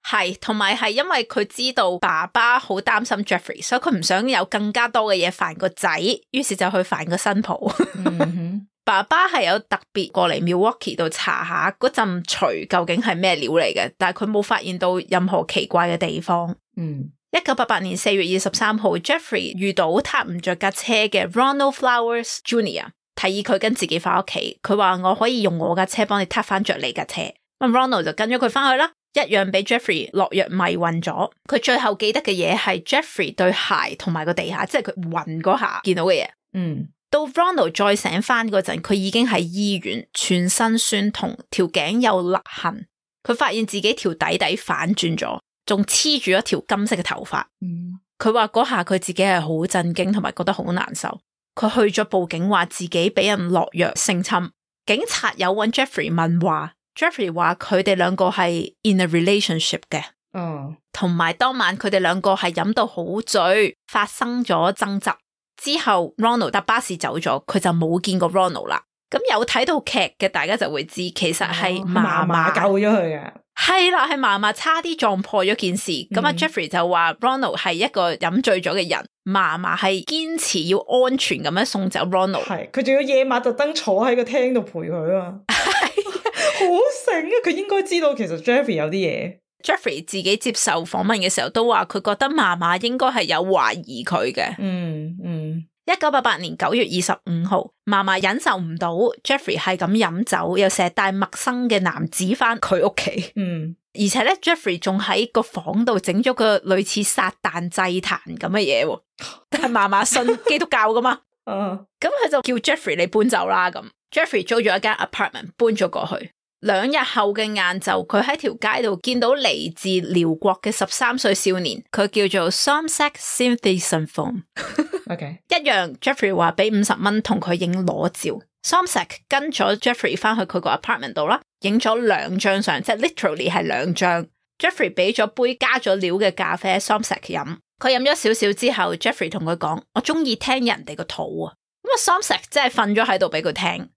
係，同埋係因為佢知道爸爸好擔心 Jeffrey， 所以佢唔想有更加多嘅嘢煩個仔，於是就去煩個新抱。嗯、爸爸係有特別過嚟 Milwaukee 度查下嗰陣錘究竟係咩料嚟嘅，但係佢冇發現到任何奇怪嘅地方。嗯，一九八八年四月二十三號 ，Jeffrey 遇到撻唔着架車嘅 Ronald Flowers Junior， 提議佢跟自己翻屋企。佢話我可以用我架車幫你撻翻着你架車。咁 Ronald 就跟咗佢翻去啦。一樣俾 Jeffrey 落藥迷暈咗。佢最後記得嘅嘢係 Jeffrey 對鞋同埋個地下，即係佢暈嗰下見到嘅嘢。嗯，到 Ronald 再醒翻嗰陣，佢已經喺醫院，全身酸痛，條頸有勒痕。佢發現自己條底底反轉咗，仲黐住一條金色嘅頭髮。嗯，佢話嗰下佢自己係好震驚，同埋覺得好難受。佢去咗報警，話自己俾人落藥性侵。警察有揾 Jeffrey 問話。Jeffrey 話佢哋兩個係 in a relationship 嘅，哦，同埋當晚佢哋兩個係飲到好醉，發生咗爭執之後 Ronald 搭巴士走咗，佢就冇見過 Ronald 啦。咁有睇到劇嘅大家就會知，其實係嫲嫲救咗佢嘅，係啦，係嫲嫲差啲撞破咗件事。咁啊、嗯、Jeffrey 就話 Ronald 係一個飲醉咗嘅人，嫲嫲係堅持要安全咁樣送走 Ronald， 係佢仲要夜晚特登坐喺個廳度陪佢啊。好醒啊！佢應該知道其實 Jeffrey 有啲嘢。Jeffrey 自己接受訪問嘅時候都話佢覺得嫲嫲應該係有懷疑佢嘅。嗯嗯。一九八八年九月二十五號，嫲嫲忍受唔到 Jeffrey 係咁飲酒，又成日帶陌生嘅男子翻佢屋企。嗯。而且咧 Jeffrey 仲喺個房度整咗個類似撒旦祭壇咁嘅嘢。但係嫲嫲信基督教噶嘛。嗯。咁佢就叫 Jeffrey 你搬走啦咁。Jeffrey 租咗一間 apartment 搬咗過去。兩日後嘅晏晝，佢喺條街度見到嚟自寮國嘅十三歲少年，佢叫做 Somsak Sinthasanthong。OK， 一樣 Jeffrey 話俾五十蚊同佢影裸照。Somsak 跟咗 Jeffrey 翻去佢個 apartment 度啦，影咗兩張相，即係 literally 係兩張。Jeffrey 俾咗杯加咗料嘅咖啡 Somsak 飲，佢飲咗少少之後 ，Jeffrey 同佢講：我中意聽人哋個肚啊。咁啊 Somsak 真係瞓咗喺度俾佢聽。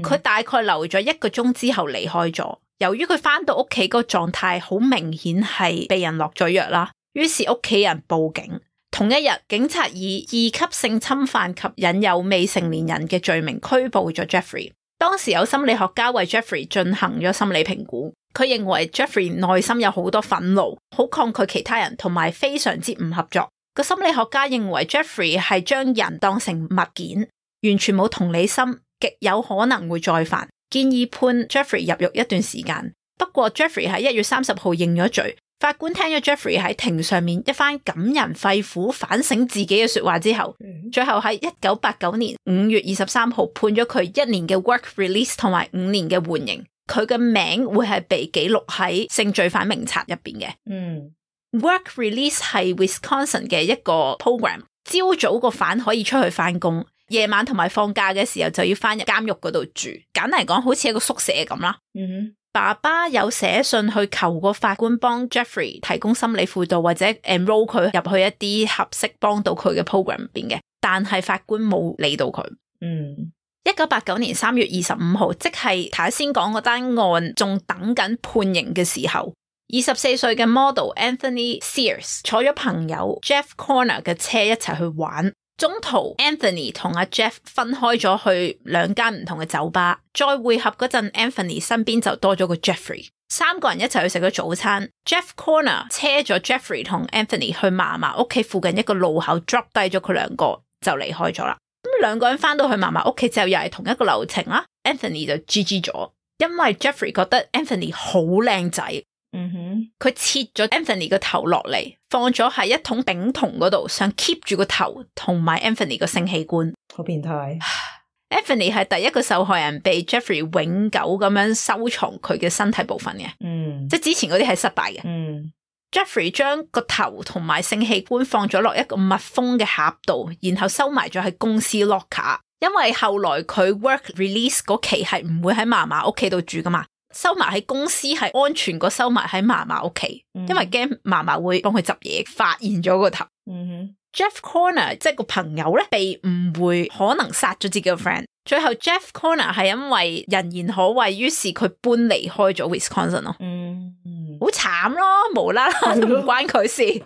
佢、嗯、大概留咗一個鐘之後離開咗。由於佢翻到屋企個狀態好明顯係被人落咗藥啦，於是屋企人報警。同一日，警察以二級性侵犯及引誘未成年人嘅罪名拘捕咗 Jeffrey。當時有心理學家為 Jeffrey 進行咗心理評估，佢認為 Jeffrey 內心有好多憤怒，好抗拒其他人，同埋非常之唔合作。個心理學家認為 Jeffrey 係將人當成物件，完全冇同理心，極有可能會再犯，建議判 Jeffrey 入獄一段時間。不過 Jeffrey 喺一月三十號認咗罪，法官聽咗 Jeffrey 喺庭上面一番感人肺腑反省自己嘅說話之後，最後喺一九八九年五月二十三號判咗佢一年嘅 work release 同埋五年嘅緩刑。佢嘅名會係被記錄喺性罪犯名冊入邊嘅。嗯，work release 係 Wisconsin 嘅一個 program， 朝早個犯可以出去翻工。夜晚同埋放假嘅時候就要翻入監獄嗰度住，簡單嚟講好似一個宿舍咁啦。嗯哼，爸爸有寫信去求個法官幫 Jeffrey 提供心理輔導或者 enroll 佢入去一啲合適幫到佢嘅 program 入邊嘅，但係法官冇理到佢。嗯，一九八九年三月二十五號，即係頭先講嗰單案仲等緊判刑嘅時候，二十四歲嘅 model Anthony Sears 坐咗朋友 Jeff Corner 嘅車一齊去玩。中途 Anthony 同阿 Jeff 分開咗去兩間唔同嘅酒吧，再會合嗰陣 Anthony 身邊就多咗個 Jeffrey， 三個人一齊去食咗早餐。Jeff Corner 車咗 Jeffrey 同 Anthony 去嫲嫲屋企附近一個路口 drop 低咗佢兩個就離開咗啦。咁兩個人翻到去嫲嫲屋企之後又係同一個流程啦。Anthony 就 G G 咗，因為 Jeffrey 覺得 Anthony 好靚仔。嗯哼，佢切咗 Anthony 個頭落嚟，放咗喺一桶丙酮嗰度，想 keep 住個頭同埋 Anthony 個性器官。好變態。Anthony 係第一個受害人被 Jeffrey 永久咁樣收藏佢嘅身體部分嘅。嗯，即係之前嗰啲係失敗嘅。嗯 ，Jeffrey 將個頭同埋性器官放咗落一個密封嘅盒度，然後收埋咗喺公司 locker。因為後來佢 work release 嗰期係唔會喺嫲嫲屋企度住噶嘛。收埋喺公司係安全過收埋喺嫲嫲屋企，因為驚嫲嫲會幫佢執嘢，發現咗個頭。嗯哼 Jeff Corner 即係個朋友咧，被誤會可能殺咗自己個 friend。最後 Jeff Corner 係因為人言可畏，於是佢搬離開咗 Wisconsin 咯。嗯，好慘咯，無啦啦都唔關佢事。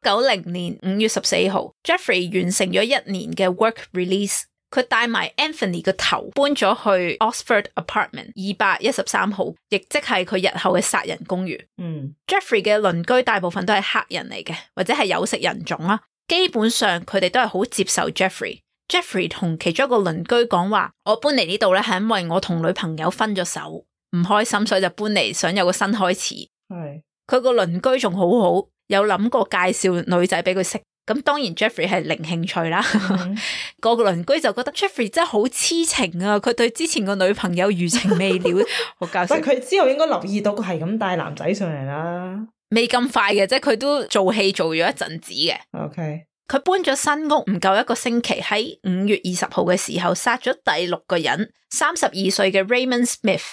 九零年五月十四號 ，Jeffrey 完成咗一年嘅 work release。佢帶埋 Anthony 個頭搬咗去 Oxford Apartment 二百一十三號，亦即係佢日後嘅殺人公寓。嗯 ，Jeffrey 嘅鄰居大部分都係黑人嚟嘅，或者係有色人種啦。基本上佢哋都係好接受 Jeffrey。Jeffrey 同其中一個鄰居講話：我搬嚟呢度咧係因為我同女朋友分咗手，唔開心，所以就搬嚟想有個新開始。係佢個鄰居仲好好，有諗過介紹女仔俾佢識。咁當然 Jeffrey 係零興趣啦。嗯、個個鄰居就覺得 Jeffrey 真係好痴情啊，佢對之前個女朋友餘情未了，好搞笑。但係佢之後應該留意到佢係咁帶男仔上嚟啦。未咁快嘅，即係佢都做戲做咗一陣子嘅。OK，佢搬咗新屋唔夠一個星期，喺五月二十號嘅時候殺咗第六個人，三十二歲嘅 Raymond Smith。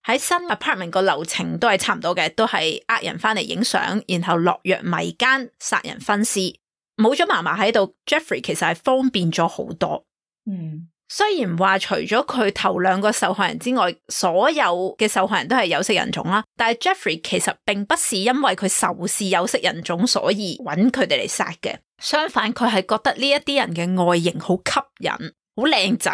喺新 apartment 個流程都係差唔多嘅，都係呃人翻嚟影相，然後落藥迷姦殺人分屍。冇咗嫲嫲喺度 ，Jeffrey 其實係方便咗好多。嗯，雖然話除咗佢頭兩個受害人之外，所有嘅受害人都係有色人種啦，但係 Jeffrey 其實並不是因為佢仇視有色人種所以揾佢哋嚟殺嘅，相反佢係覺得呢一啲人嘅外形好吸引，好靚仔，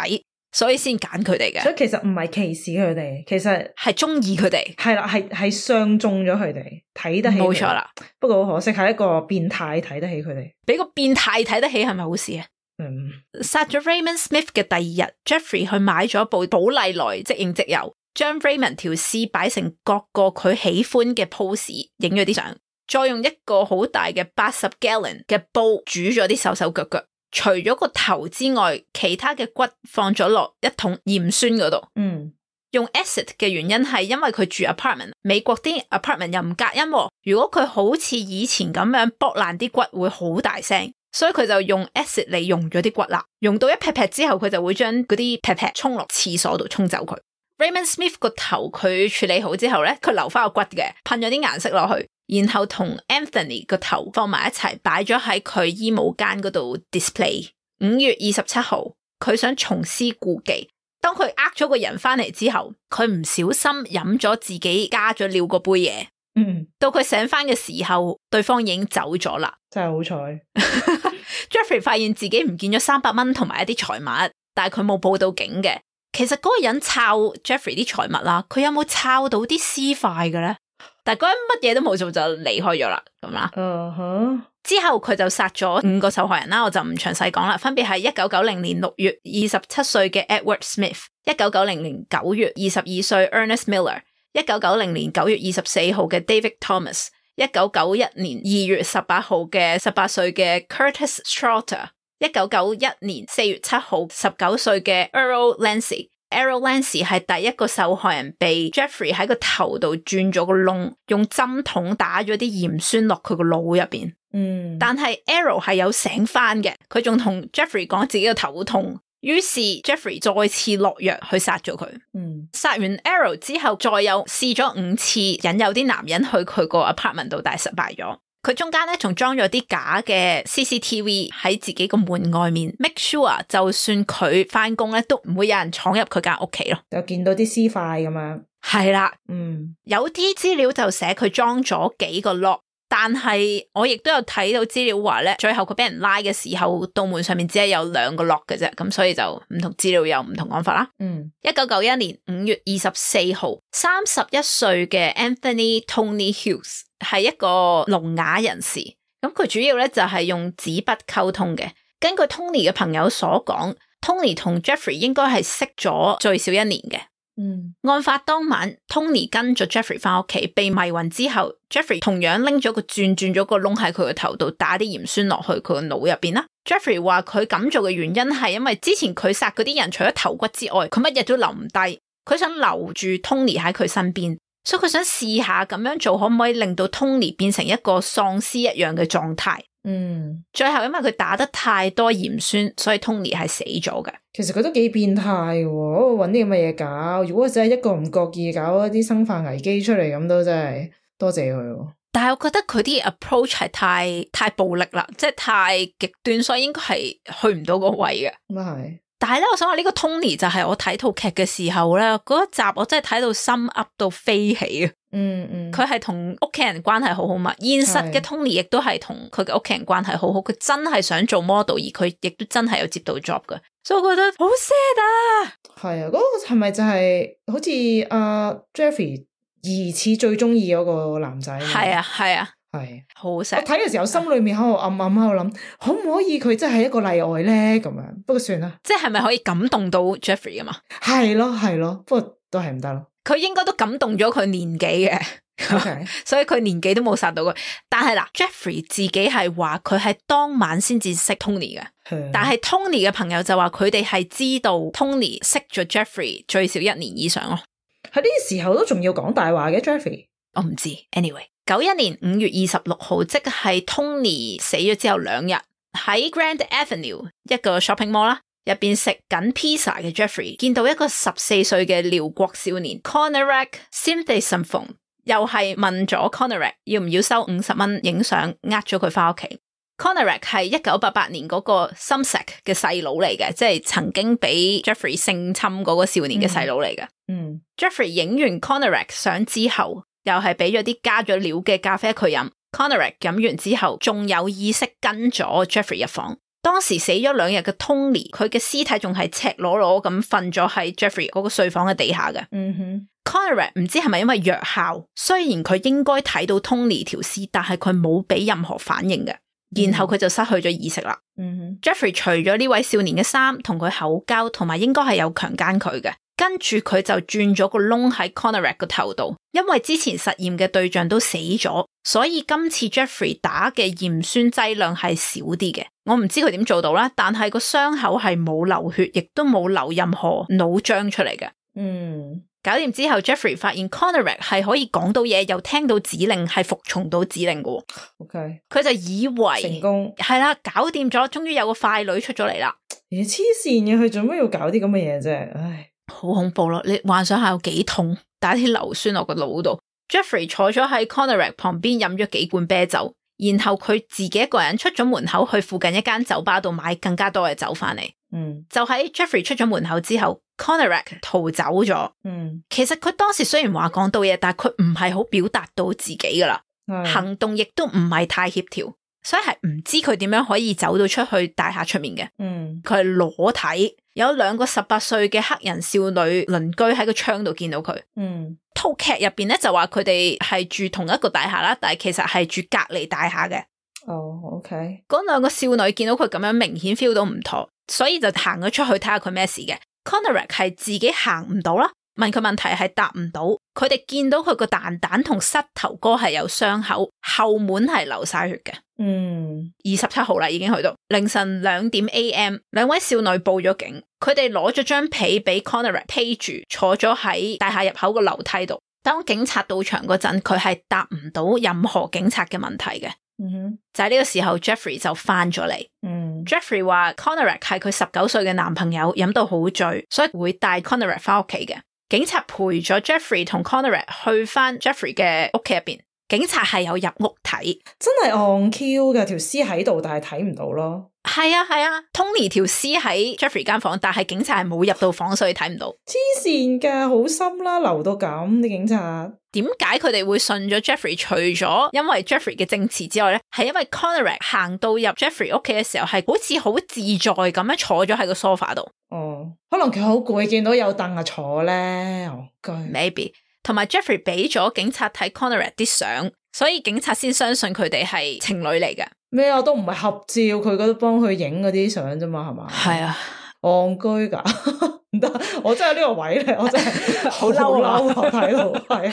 所以先揀佢哋嘅。所以其實唔係歧視佢哋，其實係中意佢哋。係啦，係係相中咗佢哋，睇得起。冇錯啦。不過好可惜係一個變態睇得起佢哋。俾個變態睇得起係咪好事啊？嗯。殺咗 Raymond Smith 嘅第二日 ，Jeffrey 去買咗部寶麗來即影即有，將 Raymond 條屍擺成各個佢喜歡嘅 pose， 影咗啲相，再用一個好大嘅八十 gallon 嘅煲煮咗啲手手腳腳。除咗個頭之外，其他嘅骨放咗落一桶鹽酸嗰度。嗯，用 acid 嘅原因係因為佢住 apartment， 美國啲 apartment 又唔隔音，如果佢好似以前咁樣剝爛啲骨會好大聲，所以佢就用 acid 嚟溶咗啲骨啦。溶到一劈劈之後，佢就會將嗰啲劈劈沖落廁所度沖走佢。Raymond Smith 個頭佢處理好之後咧，佢留翻個骨嘅，噴咗啲顏色落去。然後同 Anthony 個頭放埋一齊，擺咗喺佢衣帽間嗰度 display。五月二十七號，佢想重施故技。當佢呃咗個人翻嚟之後，佢唔小心飲咗自己加咗料嗰杯嘢。嗯，到佢醒翻嘅時候，對方已經走咗啦。真係好彩。Jeffrey 發現自己唔見咗三百蚊同埋一啲財物，但係佢冇報到警嘅。其實嗰個人抄 Jeffrey 啲財物啦，佢有冇抄到啲屍塊嘅咧？但係嗰人乜嘢都冇做就離開咗啦，咁啦。Uh huh. 之後佢就殺咗五個受害人啦，我就唔詳細講啦。分別係一九九零年六月二十七歲嘅 Edward Smith， 一九九零年九月二十二歲 Ernest Miller， 一九九零年九月二十四號嘅 David Thomas， 一九九一年二月十八號嘅十八歲嘅 Curtis Straughter， 一九九一年四月七號十九歲嘅 Errol Lancey。Errol Lancey 係第一個受害人，被 Jeffrey 喺個頭度鑽咗個窿，用針筒打咗啲鹽酸落佢個腦入邊。嗯，但係 Errol 係有醒翻嘅，佢仲同 Jeffrey 講自己個頭痛，於是 Jeffrey 再次落藥去殺咗佢。嗯，殺完 Errol 之後，再有試咗五次引誘啲男人去佢個 apartment 度，但係失敗咗。佢中間咧仲裝咗啲假嘅 C C T V 喺自己個門外面 ，make sure 就算佢翻工咧，都唔會有人闖入佢間屋企咯。就見到啲屍塊咁樣。係啦，嗯，有啲資料就寫佢裝咗幾個 lock，但係我亦都有睇到資料話咧，最後佢俾人拉嘅時候，道門上面只係有兩個 lock 嘅啫，咁所以就唔同資料有唔同講法啦。嗯，一九九一年五月二十四號，三十一歲嘅 Anthony Tony Hughes 係一個聾啞人士，咁佢主要咧就係用紙筆溝通嘅。根據 Tony 嘅朋友所講 ，Tony 同 Jeffrey 應該係識咗最少一年嘅。嗯，案發當晚 ，Tony 跟咗 Jeffrey 翻屋企，被迷暈之後 ，Jeffrey 同樣拎咗個鑽鑽咗個窿喺佢個頭度，打啲鹽酸落去佢個腦入邊啦。Jeffrey 話佢咁做嘅原因係因為之前佢殺嗰啲人，除咗頭骨之外，佢乜嘢都留唔低，佢想留住 Tony 喺佢身邊，所以佢想試下咁樣做可唔可以令到 Tony 變成一個喪屍一樣嘅狀態。嗯，最後因為佢打得太多鹽酸，所以 Tony 係死咗嘅。其實佢都幾變態喎，搵啲咁嘅嘢搞。如果真係一個唔覺意搞一啲生化危機出嚟，咁都真係多謝佢。但係我覺得佢啲 approach 係太太暴力啦，即係太極端，所以應該係去唔到個位嘅。咁啊係。但係咧，我想話呢個 Tony 就係我睇套劇嘅時候咧，嗰一集我真係睇到心噏到飛起啊！嗯嗯，佢係同屋企人關係好好嘛，現實嘅 Tony 亦都係同佢嘅屋企人關係好好，佢真係想做 model，而佢亦都真係有接到 job 嘅，所以我覺得好 sad 啊！係啊，嗰、那個係咪就係、是、好似阿、uh, Jeffrey 疑似最中意嗰個男仔？係啊係啊。係好錫，我睇嘅時候心裏面喺度暗暗喺度諗，可唔可以佢真係一個例外咧？咁樣，不過算啦。即係咪可以感動到 Jeffrey 啊嘛？係咯係咯，不過都係唔得咯。佢應該都感動咗佢年紀嘅。Okay. 所以佢年紀都冇殺到佢，但係嗱 Jeffrey 自己係話佢係當晚先至識 Tony 嘅，但係 Tony 嘅朋友就話佢哋係知道 Tony 識咗 Jeffrey 最少一年以上咯。喺呢個時候都仲要講大話嘅 Jeffrey， 我唔知。Anyway， 九一年五月二十六號，即係 Tony 死咗之後兩日，喺 Grand Avenue 一個 shopping mall 啦，入邊食緊 pizza 嘅 Jeffrey 見到一個十四歲嘅寮國少年 Konerak Simthasomphone，又係問咗 Konerak 要唔要收五十蚊影相，呃咗佢翻屋企。Konerak 係一九八八年嗰個 Sumsack 嘅細佬嚟嘅，即係曾經俾 Jeffrey 性侵嗰個少年嘅細佬嚟嘅。嗯 ，Jeffrey 影完 Konerak 相之後，又係俾咗啲加咗料嘅咖啡佢飲。Konerak 飲完之後，仲有意識跟咗 Jeffrey 入房。當時死咗兩日嘅 Tony， 佢嘅屍體仲係赤裸裸咁瞓咗喺 Jeffrey 嗰個睡房嘅地下嘅。嗯哼 Konerak 唔知係咪因為藥效，雖然佢應該睇到 Tony 條屍，但係佢冇俾任何反應嘅。然後佢就失去咗意識啦。嗯、Jeffrey 除咗呢位少年嘅衫，同佢口交，同埋應該係有強姦佢嘅。跟住佢就鑽咗個窿喺 Konerak 個頭度，因為之前實驗嘅對象都死咗，所以今次 Jeffrey 打嘅鹽酸劑量係少啲嘅。我唔知佢點做到啦，但係個傷口係冇流血，亦都冇流任何腦漿出嚟嘅。嗯。搞掂之後 Jeffrey 發現 Konerak 係可以講到嘢，又聽到指令，係服從到指令嘅。OK， 佢就以為成功係啦，搞掂咗，終於有個快女出咗嚟啦。咦，黐線嘅，佢做咩要搞啲咁嘅嘢啫？唉，好恐怖咯！你幻想下有幾痛，打啲硫酸落個腦度。Jeffrey 坐咗喺 Konerak 旁邊飲咗幾罐啤酒，然後佢自己一個人出咗門口去附近一間酒吧度買更加多嘅酒翻嚟。嗯，就喺 Jeffrey 出咗門口之後 Konerak 逃走咗。嗯，其實佢當時雖然話講到嘢，但係佢唔係好表達到自己噶啦，行動亦都唔係太協調，所以係唔知佢點樣可以走到出去大廈出面嘅。嗯，佢係裸體，有兩個十八歲嘅黑人少女鄰居喺個窗度見到佢。嗯，套劇入邊咧就話佢哋係住同一個大廈啦，但係其實係住隔離大廈嘅。哦、oh, OK， 嗰兩個少女見到佢咁樣，明顯 feel 到唔妥，所以就行咗出去睇下佢咩事嘅。Konerak 係自己行唔到啦，問佢問題係答唔到。佢哋見到佢個蛋蛋同膝頭哥係有傷口，後門係流晒血嘅。嗯，二十七號啦，已經去到凌晨兩點 A M， 兩位少女報咗警，佢哋攞咗張被俾 Konerak 披住，坐咗喺大廈入口個樓梯度。當警察到場嗰陣，佢係答唔到任何警察嘅問題嘅。嗯哼，就喺呢個時候 Jeffrey 就翻咗嚟。嗯 Jeffrey 話 Konerak 係佢十九歲嘅男朋友，飲到好醉，所以會帶 Konerak 翻屋企嘅。警察陪咗 Jeffrey 同 Konerak 去翻 Jeffrey 嘅屋企入邊，警察係有入屋睇，真係 on Q 嘅，條屍喺度，但係睇唔到咯。係啊係啊 Tony 條屍喺 Jeffrey 間房，但係警察係冇入到房，所以睇唔到。黐線噶，好深啦，流到咁啲警察。點解佢哋會信咗 Jeffrey？ 除咗因為 Jeffrey 嘅證詞之外咧，係因為 Konerak 行到入 Jeffrey 屋企嘅時候，係好似好自在咁樣坐咗喺個 sofa 度。哦，可能佢好攰，見到有凳啊坐咧。哦，maybe。同埋 Jeffrey 俾咗警察睇 Konerak 啲相，所以警察先相信佢哋係情侶嚟嘅。咩啊？都唔係合照，佢嗰度幫佢影嗰啲相啫嘛，係嘛？係啊，戇居噶，唔得！我真係呢個位咧，我真係好嬲啊！睇到係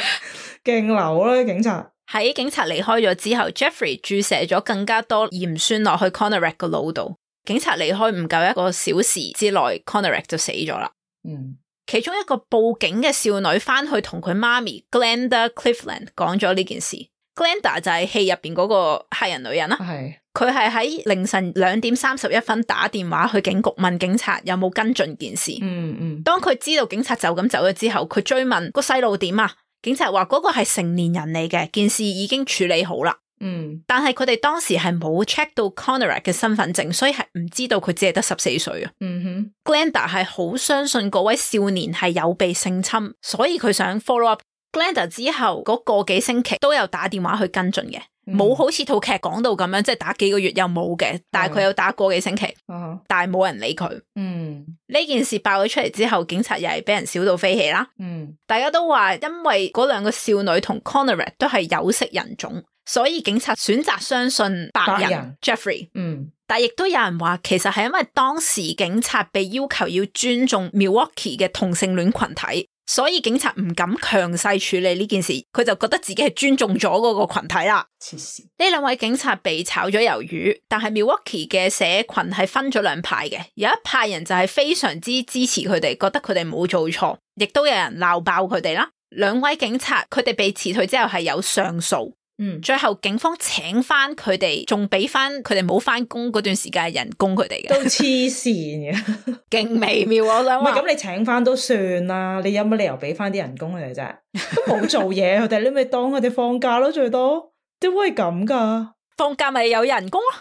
勁流啦，警察。喺警察離開咗之後 ，Jeffrey 注射咗更加多鹽酸落去 Konerak 個腦度。警察離開唔夠一個小時之內 ，Konerak 就死咗啦。嗯。其中一個報警嘅少女翻去同佢媽咪 Glenda Cleveland 講咗呢件事。Glenda 就係戲入邊嗰個黑人女人啦。係。佢係喺凌晨兩點三十一分打電話去警局問警察有冇跟進件事。嗯嗯。當佢知道警察就咁走咗之後，佢追問個細路點啊？警察話嗰個係成年人嚟嘅，件事已經處理好啦。嗯。但係佢哋當時係冇 check 到 Konerak 嘅身份證，所以係唔知道佢只係得十四歲啊。嗯哼。Glenda 係好相信嗰位少年係有被性侵，所以佢想 follow up。Glenda 之後嗰個幾星期都有打電話去跟進嘅，冇、嗯、好似套劇講到咁樣，即係打幾個月又冇嘅，但係佢有打個幾星期，嗯、但係冇人理佢。嗯，呢件事爆咗出嚟之後，警察又係俾人笑到飛起啦。嗯，大家都話因為嗰兩個少女同 Konerak 都係有色人種，所以警察選擇相信白人，白人 Jeffrey。嗯，但係亦都有人話，其實係因為當時警察被要求要尊重 Milwaukee 嘅同性戀群體。所以警察唔敢強勢處理呢件事，佢就覺得自己係尊重咗嗰個群體啦。黐線！呢兩位警察被炒咗魷魚，但係 Milwaukee 嘅社群係分咗兩派嘅，有一派人就係非常之支持佢哋，覺得佢哋冇做錯，亦都有人鬧爆佢哋啦。兩位警察佢哋被辭退之後係有上訴。嗯，最後警方請翻佢哋，仲俾翻佢哋冇翻工嗰段時間嘅人工佢哋嘅，都黐線嘅，勁微妙我想話。唔係咁，你請翻都算啦，你有乜理由俾翻啲人工佢哋啫？都冇做嘢，佢哋你咪當佢哋放假咯，最多點會咁噶？放假咪有人工咯，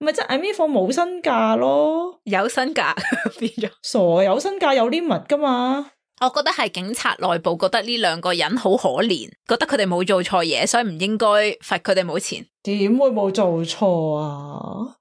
咪即係 I mean 放冇薪假咯，有薪假變咗傻，有薪假有 limit 噶嘛？我覺得係警察內部覺得呢兩個人好可憐，覺得佢哋冇做錯嘢，所以唔應該罰佢哋冇錢。點會冇做錯啊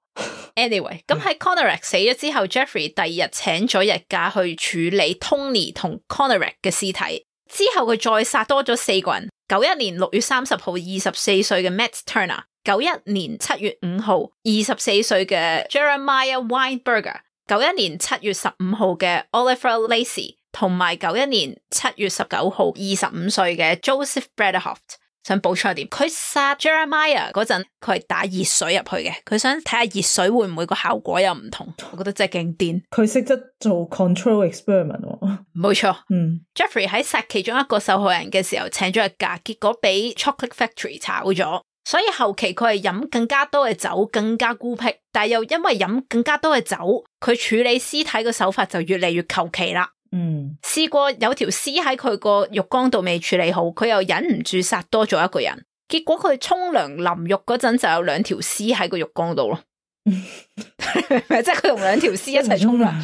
？Anyway， 咁喺 Konarak 死咗之後，Jeffrey 第二日請咗日假去處理 Tony 同 Konarak 嘅屍體，之後佢再殺多咗四個人。九一年六月三十號，二十四歲嘅 Matt Turner；九一年七月五號，二十四歲嘅 Jeremiah Weinberger；九一年七月十五號嘅 Oliver Lacy。同埋九一年七月十九號，二十五歲嘅 Joseph Bradehoft。想補充一點，佢殺 Jeremiah 嗰陣，佢係打熱水入去嘅，佢想睇下熱水會唔會個效果有唔同。我覺得真係勁癲，佢識得做 control experiment 喎。冇錯，嗯 Jeffrey 喺殺其中一個受害人嘅時候請咗日假，結果俾 Chocolate Factory 炒咗，所以後期佢係飲更加多嘅酒，更加孤僻，但係又因為飲更加多嘅酒，佢處理屍體嘅手法就越嚟越求其啦。嗯，試過有條屍喺佢個浴缸度未處理好，佢又忍唔住殺多咗一個人，結果佢沖涼淋浴嗰陣就有兩條屍喺個浴缸度咯，即係佢同兩條屍一齊沖涼。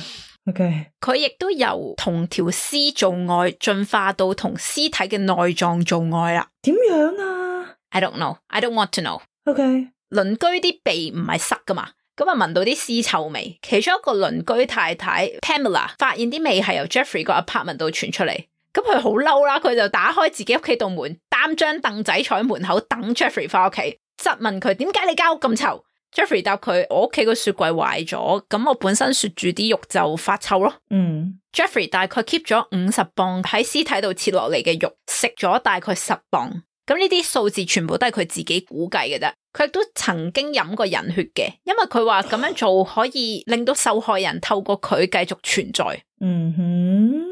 OK，佢亦都由同條屍做愛進化到同屍體嘅內臟做愛啦。點樣啊 ？I don't know, I don't want to know. OK，鄰居啲鼻唔係塞噶嘛？咁啊聞到啲屍臭味，其中一個鄰居太太 Pamela 發現啲味係由 Jeffrey 個 apartment 度傳出嚟，咁佢好嬲啦，佢就打開自己屋企度門，擔張凳仔坐喺門口等 Jeffrey 翻屋企，質問佢點解你間屋咁臭。Jeffrey 答佢：我屋企個雪櫃壞咗，咁我本身雪住啲肉就發臭咯。嗯 Jeffrey 大概 keep 咗五十磅喺屍體度切落嚟嘅肉，食咗大概十磅。咁呢啲數字全部都係佢自己估計嘅啫。佢亦都曾經飲過人血嘅，因為佢話咁樣做可以令到受害人透過佢繼續存在。嗯哼，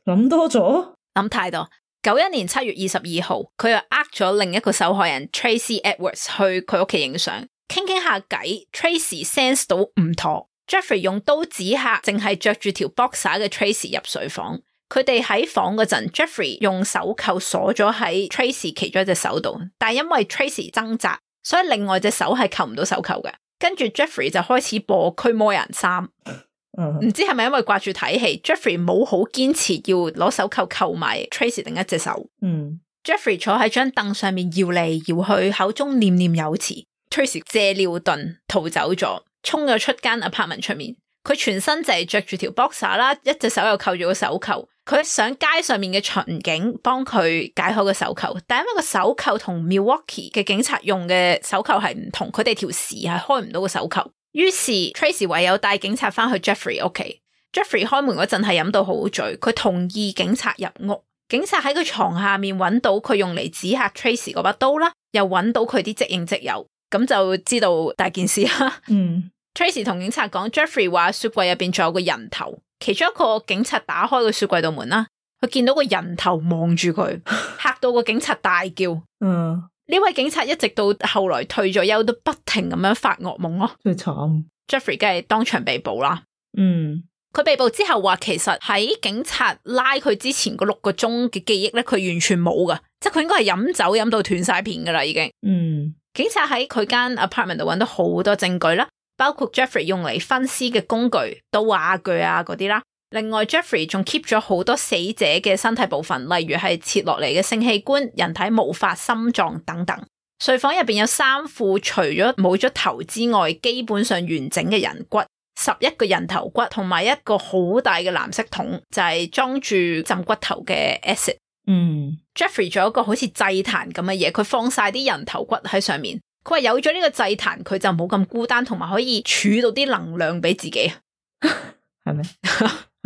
諗多咗，諗太多。九一年七月二十二號，佢又呃咗另一個受害人 Tracy Edwards 去佢屋企影相，傾傾下偈。Tracy sense 到唔妥 ，Jeffrey 用刀指下淨係着住條 boxer 嘅 Tracy 入睡房。佢哋喺房嗰陣 Jeffrey 用手扣鎖咗喺 Tracy 其中一隻手度，但係因為 Tracy 掙扎，所以另外隻手係扣唔到手扣嘅。跟住 Jeffrey 就開始播驅魔人三，唔、uh-huh. 知係咪因為掛住睇戲 ，Jeffrey 冇好堅持要攞手扣扣埋 Tracy 另一隻手。嗯、uh-huh. Jeffrey 坐喺張凳上面搖嚟搖去，口中念念有詞。Tracy 借尿遁逃走咗，衝咗出間 apartment 出面。佢全身就係着住條 boxer 啦，一隻手又扣住個手扣。佢上街上面嘅巡警幫佢解開個手扣，但因為個手扣同 Milwaukee 嘅警察用嘅手扣係唔同，佢哋條匙係開唔到個手扣。於是 Tracy 唯有帶警察翻去 Jeffrey 屋企。Jeffrey 開門嗰陣係飲到好醉，佢同意警察入屋。警察喺佢床下面揾到佢用嚟指嚇 Tracy 嗰把刀啦，又揾到佢啲即影即有，咁就知道大件事啦。嗯 Tracy 同警察講 Jeffrey 話雪櫃入邊仲有個人頭，其中一個警察打開個雪櫃度門啦，佢見到個人頭望住佢，嚇到個警察大叫。嗯，呢位警察一直到後來退咗休都不停咁樣發噩夢咯，最慘。Jeffrey 梗係當場被捕啦。嗯，佢被捕之後話，其實喺警察拉佢之前嗰六個鐘嘅記憶咧，佢完全冇噶，即係佢應該係飲酒飲到斷晒片噶啦已經。嗯，警察喺佢間 apartment 度揾到好多證據啦。包括 Jeffrey 用嚟分屍嘅工具、刀啊、鋸啊嗰啲啦。另外 Jeffrey 仲 keep 咗好多死者嘅身體部分，例如係切落嚟嘅性器官、人體毛髮、心臟等等。睡房入邊有三副除咗冇咗頭之外基本上完整嘅人骨，十一個人頭骨，同埋一個好大嘅藍色桶，就係、是、裝住浸骨頭嘅 acid。嗯 Jeffrey 仲有一個好似祭壇咁嘅嘢，佢放晒啲人頭骨喺上面。佢話有咗呢個祭壇，佢就冇咁孤單，同埋可以儲到啲能量俾自己。係咪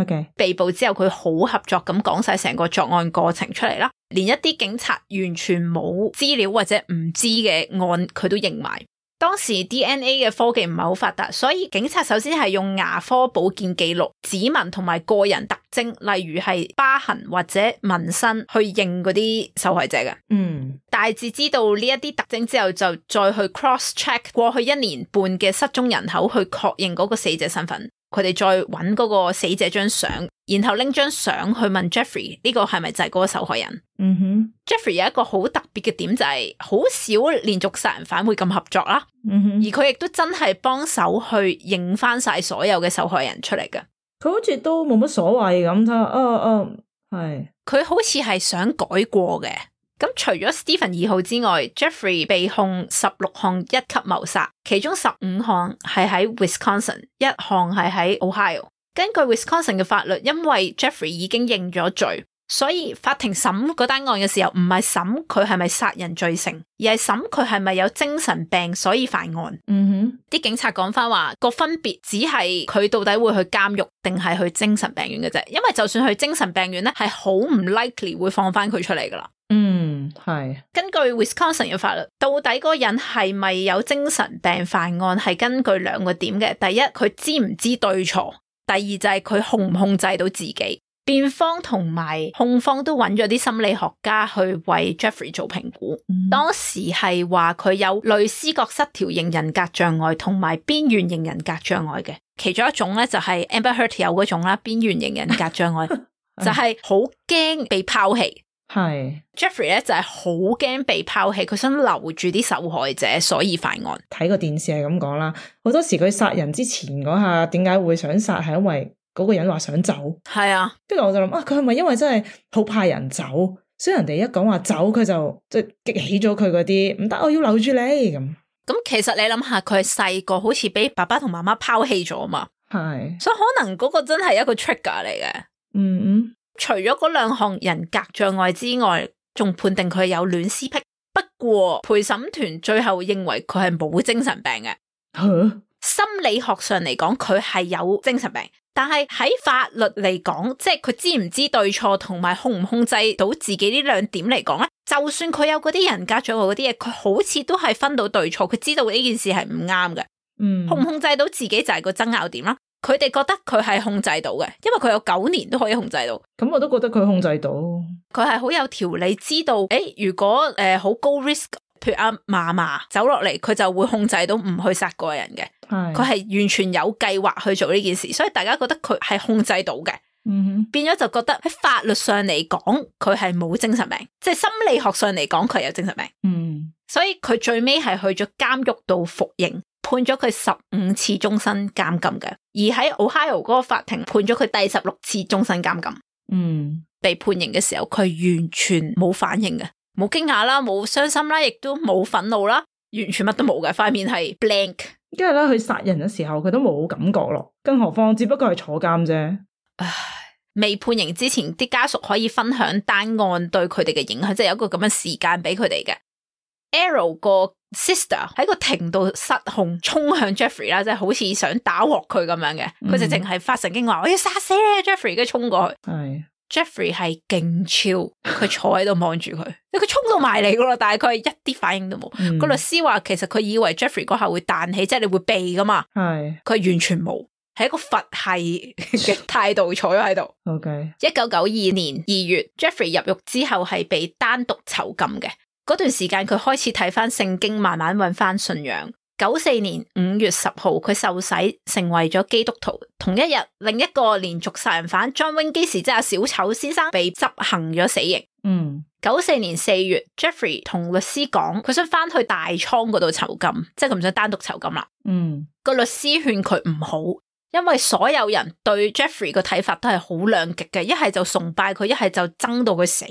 OK，被捕之後佢好合作咁講晒成個作案過程出嚟啦，連一啲警察完全冇資料或者唔知嘅案佢都認埋。當時 D N A 嘅科技唔係好發達，所以警察首先係用牙科保健記錄、指紋同埋個人特徵，例如係疤痕或者紋身去認嗰啲受害者嘅。嗯，大致知道呢一啲特徵之後，就再去 cross check 過去一年半嘅失蹤人口，去確認嗰個死者身份。佢哋再揾嗰個死者張相，然後拎張相去問 Jeffrey 呢個係咪就係嗰個受害人。嗯哼 Jeffrey 有一個好特別嘅點就係好少連續殺人犯會咁合作啦。嗯哼，而佢亦都真係幫手去認翻晒所有嘅受害人出嚟嘅。佢好似都冇乜所謂咁，睇啊啊係。佢好似係想改過嘅。咁除咗 Stephen 二號之外 ，Jeffrey 被控十六項一級謀殺，其中十五項係喺 Wisconsin， 一項係喺 Ohio。根據 Wisconsin 嘅法律，因為 Jeffrey 已經認咗罪，所以法庭審嗰單案嘅時候，唔係審佢係咪殺人罪成，而係審佢係咪有精神病所以犯案。嗯哼，啲警察講翻話個分別只係佢到底會去監獄定係去精神病院嘅啫，因為就算去精神病院咧，係好唔 likely 會放翻佢出嚟噶啦。嗯，係。根據 Wisconsin 嘅法律，到底嗰個人係咪有精神病犯案，係根據兩個點嘅。第一，佢知唔知對錯；第二就係佢控唔控制到自己。辯方同埋控方都揾咗啲心理學家去為 Jeffrey 做評估。嗯、當時係話佢有類思覺失調型人格障礙同埋邊緣型人格障礙嘅，其中一種咧就係 Amber Heard 有嗰種啦，邊緣型人格障礙就係好驚被拋棄。係 Jeffrey 咧就係好驚被拋棄，佢想留住啲受害者，所以犯案。睇個電視係咁講啦，好多時佢殺人之前嗰下點解會想殺，係因為嗰個人話想走。係啊，跟住我就諗啊，佢係咪因為真係好怕人走，所以人哋一講話走，佢就即係激起咗佢嗰啲唔得，我要留住你咁。咁其實你諗下，佢係細個好似俾爸爸同媽媽拋棄咗嘛，係，所以可能嗰個真係一個 trigger 嚟嘅。嗯嗯。除咗嗰兩項人格障礙之外，仲判定佢有戀屍癖。不過陪審團最後認為佢係冇精神病嘅。huh? 心理學上嚟講，佢係有精神病，但係喺法律嚟講，即係佢知唔知對錯同埋控唔控制到自己呢兩點嚟講咧，就算佢有嗰啲人格障礙嗰啲嘢，佢好似都係分到對錯，佢知道呢件事係唔啱嘅。嗯，控唔控制到自己就係個爭拗點啦。佢哋覺得佢係控制到嘅，因為佢有九年都可以控制到。咁我都覺得佢控制到，佢係好有條理，知道誒，如果誒好、呃、高 risk， 譬如阿嫲嫲走落嚟，佢就會控制到唔去殺個人嘅。係，佢係完全有計劃去做呢件事，所以大家覺得佢係控制到嘅。嗯哼，變咗就覺得喺法律上嚟講，佢係冇精神病，即係心理學上嚟講，佢係有精神病。嗯，所以佢最尾係去咗監獄度服刑。判咗佢十五次終身監禁嘅，而喺 Ohio 嗰個法庭判咗佢第十六次終身監禁。嗯，被判刑嘅時候，佢完全冇反應嘅，冇驚訝啦，冇傷心啦，亦都冇憤怒啦，完全乜都冇嘅，塊面係 blank。因為咧，佢殺人嘅時候佢都冇感覺咯，更何況只不過係坐監啫。唉，未判刑之前，啲家屬可以分享單案對佢哋嘅影響，即係有一個咁嘅時間俾佢哋嘅。Arrow 個 sister 喺個庭度失控，衝向 Jeffrey 啦，即係好似想打鑊佢咁樣嘅。佢就淨係發神經話我要殺死你 ，Jeffrey， 跟住衝過去。係 Jeffrey 係勁超，佢坐喺度望住佢，佢衝到埋嚟噶啦，但係佢係一啲反應都冇。嗯、個律師話其實佢以為 Jeffrey 嗰下會彈起，即係你會避噶嘛。係佢完全冇，係一個佛系嘅態度坐咗喺度。OK， 一九九二年二月 ，Jeffrey 入獄之後係被單獨囚禁嘅。嗰段時間佢開始睇翻聖經，慢慢揾翻信仰。九四年五月十號，佢受洗成為咗基督徒。同一日，另一個連續殺人犯 John Wayne Gacy 即係阿小丑先生被執行咗死刑。嗯，九四年四月 ，Jeffrey 同律師講，佢想翻去大倉嗰度囚禁，即係佢唔想單獨囚禁啦。嗯，個律師勸佢唔好，因為所有人對 Jeffrey 個睇法都係好兩極嘅，一係就崇拜佢，一係就憎到佢死。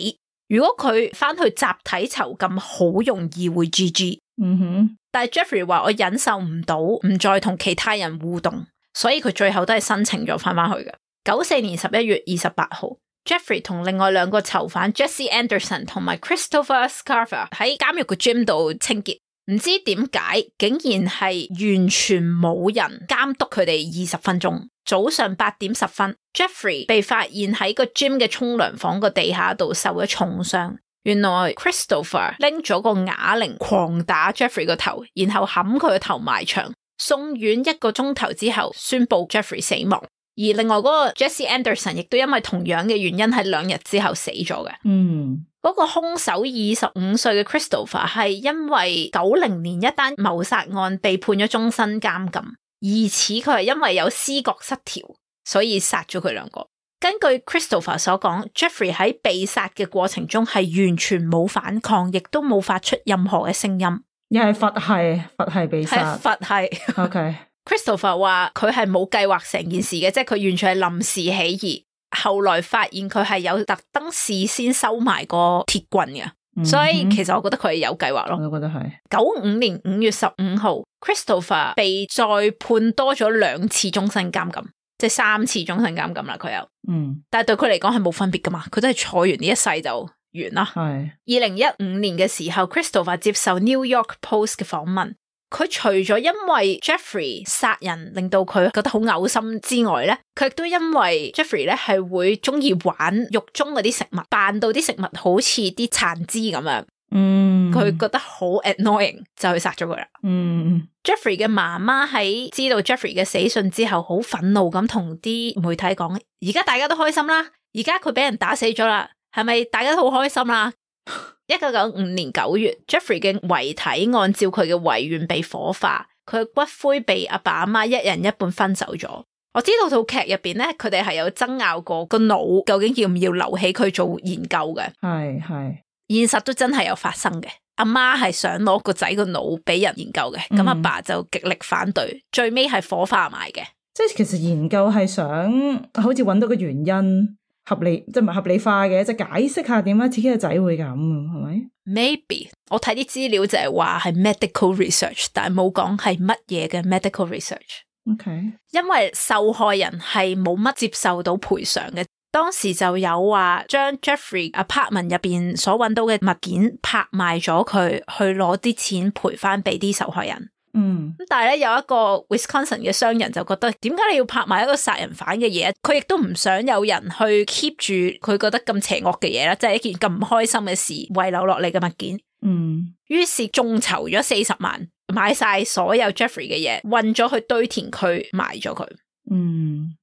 如果佢翻去集體囚禁，好容易會 G G。嗯哼，但係 Jeffrey 話我忍受唔到，唔再同其他人互動，所以佢最後都係申請咗翻翻去嘅。九四年十一月二十八號 ，Jeffrey 同另外兩個囚犯 Jesse Anderson 同埋 Christopher Scarver 喺監獄嘅 gym 度清潔。唔知點解竟然係完全冇人監督佢哋二十分鐘。早上八點十分 Jeffrey 被發現喺個 gym 嘅沖涼房個地下度受咗重傷。原來 Christopher 拎咗個啞鈴狂打 Jeffrey 個頭，然後冚佢個頭埋牆，送院一個鐘頭之後宣布 Jeffrey 死亡。而另外嗰個 Jesse Anderson 亦都因為同樣嘅原因喺兩日之後死咗嘅。嗯，嗰個兇手二十五歲嘅 Christopher 係因為九零年一單謀殺案被判咗終身監禁，疑似佢係因為有思覺失調，所以殺咗佢兩個。根據 Christopher 所講 Jeffrey 喺被殺嘅過程中係完全冇反抗，亦都冇發出任何嘅聲音。又係佛系佛系被殺，係佛系。OK Christopher 話佢係冇計劃成件事嘅，即係佢完全係臨時起意。後來發現佢係有特登事先收埋個鐵棍嘅，嗯、所以其實我覺得佢係有計劃咯。我都覺得係。九五年五月十五號 Christopher 被再判多咗兩次終身監禁，即係三次終身監禁啦。佢有，嗯，但係對佢嚟講係冇分別噶嘛，佢都係坐完呢一世就完啦。係。二零一五年嘅時候 Christopher 接受 New York Post 嘅訪問。佢除咗因為 Jeffrey 殺人令到佢覺得好嘔心之外咧，佢亦都因為 Jeffrey 咧係會中意玩獄中嗰啲食物，扮到啲食物好似啲殘肢咁樣。嗯，佢覺得好 annoying 就去殺咗佢啦。嗯 ，Jeffrey 嘅媽媽喺知道 Jeffrey 嘅死訊之後，好憤怒咁同啲媒體講：而家大家都開心啦，而家佢俾人打死咗啦，係咪大家都好開心啦？一九九五年九月 Jeffrey 嘅遺體按照佢嘅遺願被火化，佢嘅骨灰被阿爸阿媽一人一半分走咗。我知道套劇入邊咧，佢哋係有爭拗過個腦究竟要唔要留起佢做研究嘅。係係，現實都真係有發生嘅。阿媽係想攞個仔個腦俾人研究嘅，咁阿、嗯、爸就極力反對，最尾係火化埋嘅。即係其實研究係想好似揾到個原因。合理即係唔係合理化嘅，即係解釋下點解自己個仔會咁，係咪 ？Maybe 我睇啲資料就係話係 medical research， 但係冇講係乜嘢嘅 medical research。OK， 因為受害人係冇乜接受到賠償嘅，當時就有話將 Jeffrey apartment 入邊所揾到嘅物件拍賣咗佢，去攞啲錢賠翻俾啲受害人。嗯，咁但係咧有一個 Wisconsin 嘅商人就覺得，點解你要拍賣一個殺人犯嘅嘢？佢亦都唔想有人去 keep 住佢覺得咁邪惡嘅嘢啦，即係一件咁唔開心嘅事遺留落嚟嘅物件。嗯，於是眾籌咗四十萬，買晒所有 Jeffrey 嘅嘢，運咗去堆填區埋咗佢。嗯，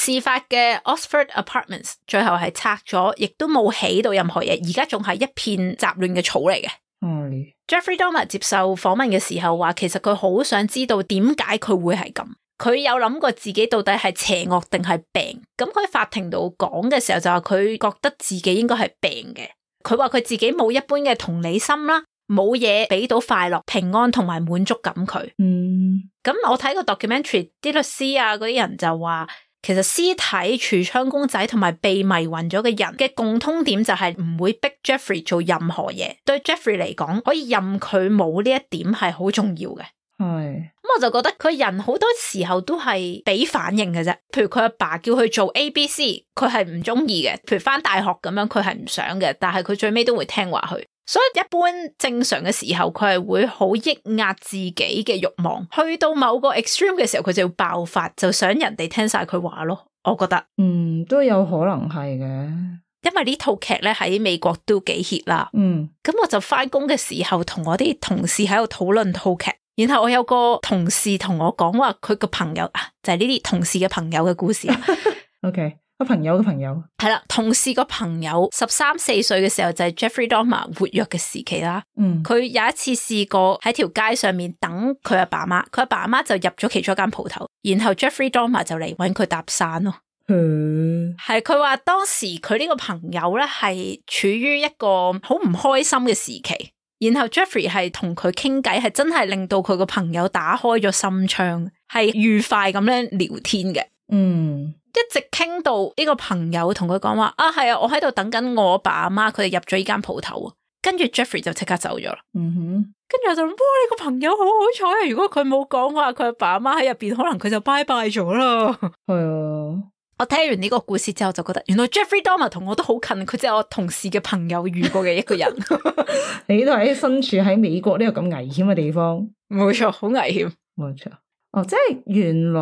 事發嘅 Oxford Apartments 最後係拆咗，亦都冇起到任何嘢，而家仲係一片雜亂嘅草嚟嘅。嗯，Jeffrey Dahmer 接受訪問嘅時候話，其實佢好想知道點解佢會係咁，佢有諗過自己到底係邪惡定係病。咁佢喺法庭度講嘅時候就話佢覺得自己應該係病嘅。佢話佢自己冇一般嘅同理心啦，冇嘢俾到快樂、平安同埋滿足感佢。嗯，咁我睇個 documentary， 啲律師啊嗰啲人就話，其實屍體、櫥窗公仔同埋被迷暈咗嘅人嘅共通點就係唔會逼 Jeffrey 做任何嘢。對 Jeffrey 嚟講，可以任佢冇呢一點係好重要嘅。係，咁我就覺得佢人好多時候都係俾反應嘅啫。譬如佢阿爸叫佢做 A B C， 佢係唔中意嘅。譬如返大學咁樣，佢係唔想嘅，但係佢最尾都會聽話去。所以一般正常嘅時候，佢係會好抑壓自己嘅慾望，去到某個 extreme 嘅時候，佢就要爆發，就想人哋聽晒佢話咯。我覺得，嗯，都有可能係嘅，因為呢套劇咧喺美國都幾 hit 啦。嗯，咁我就翻工嘅時候，同我啲同事喺度討論套劇，然後我有個同事同我講話，佢個朋友啊，就係呢啲同事嘅朋友嘅故事。OK。個朋友嘅朋友係啦，同事個朋友十三四歲嘅時候就係 Jeffrey Dahmer 活躍嘅時期啦。嗯，佢有一次試過喺條街上面等佢阿爸媽，佢阿爸媽就入咗其中一間鋪頭，然後 Jeffrey Dahmer 就嚟搵佢搭訕咯。嗯，係佢話當時佢呢個朋友咧係處於一個好唔開心嘅時期，然後 Jeffrey 係同佢傾偈，係真係令到佢個朋友打開咗心窗，係愉快咁樣聊天嘅。嗯。一直傾到呢個朋友同佢講話啊，係啊，我喺度等緊我爸阿媽，佢哋入咗呢間鋪頭，跟住 Jeffrey 就即刻走咗啦。嗯哼，跟住我就諗，哇，你個朋友好好彩啊！如果佢冇講話，佢阿爸阿媽喺入邊，可能佢就拜拜咗啦。係啊，我我聽完呢個故事之後就覺得，原來 Jeffrey Dahmer 同我都好近，佢即係我同事嘅朋友遇過嘅一個人。你都係身處喺美國呢個咁危險嘅地方，冇錯，好危險，冇錯。哦，即係原來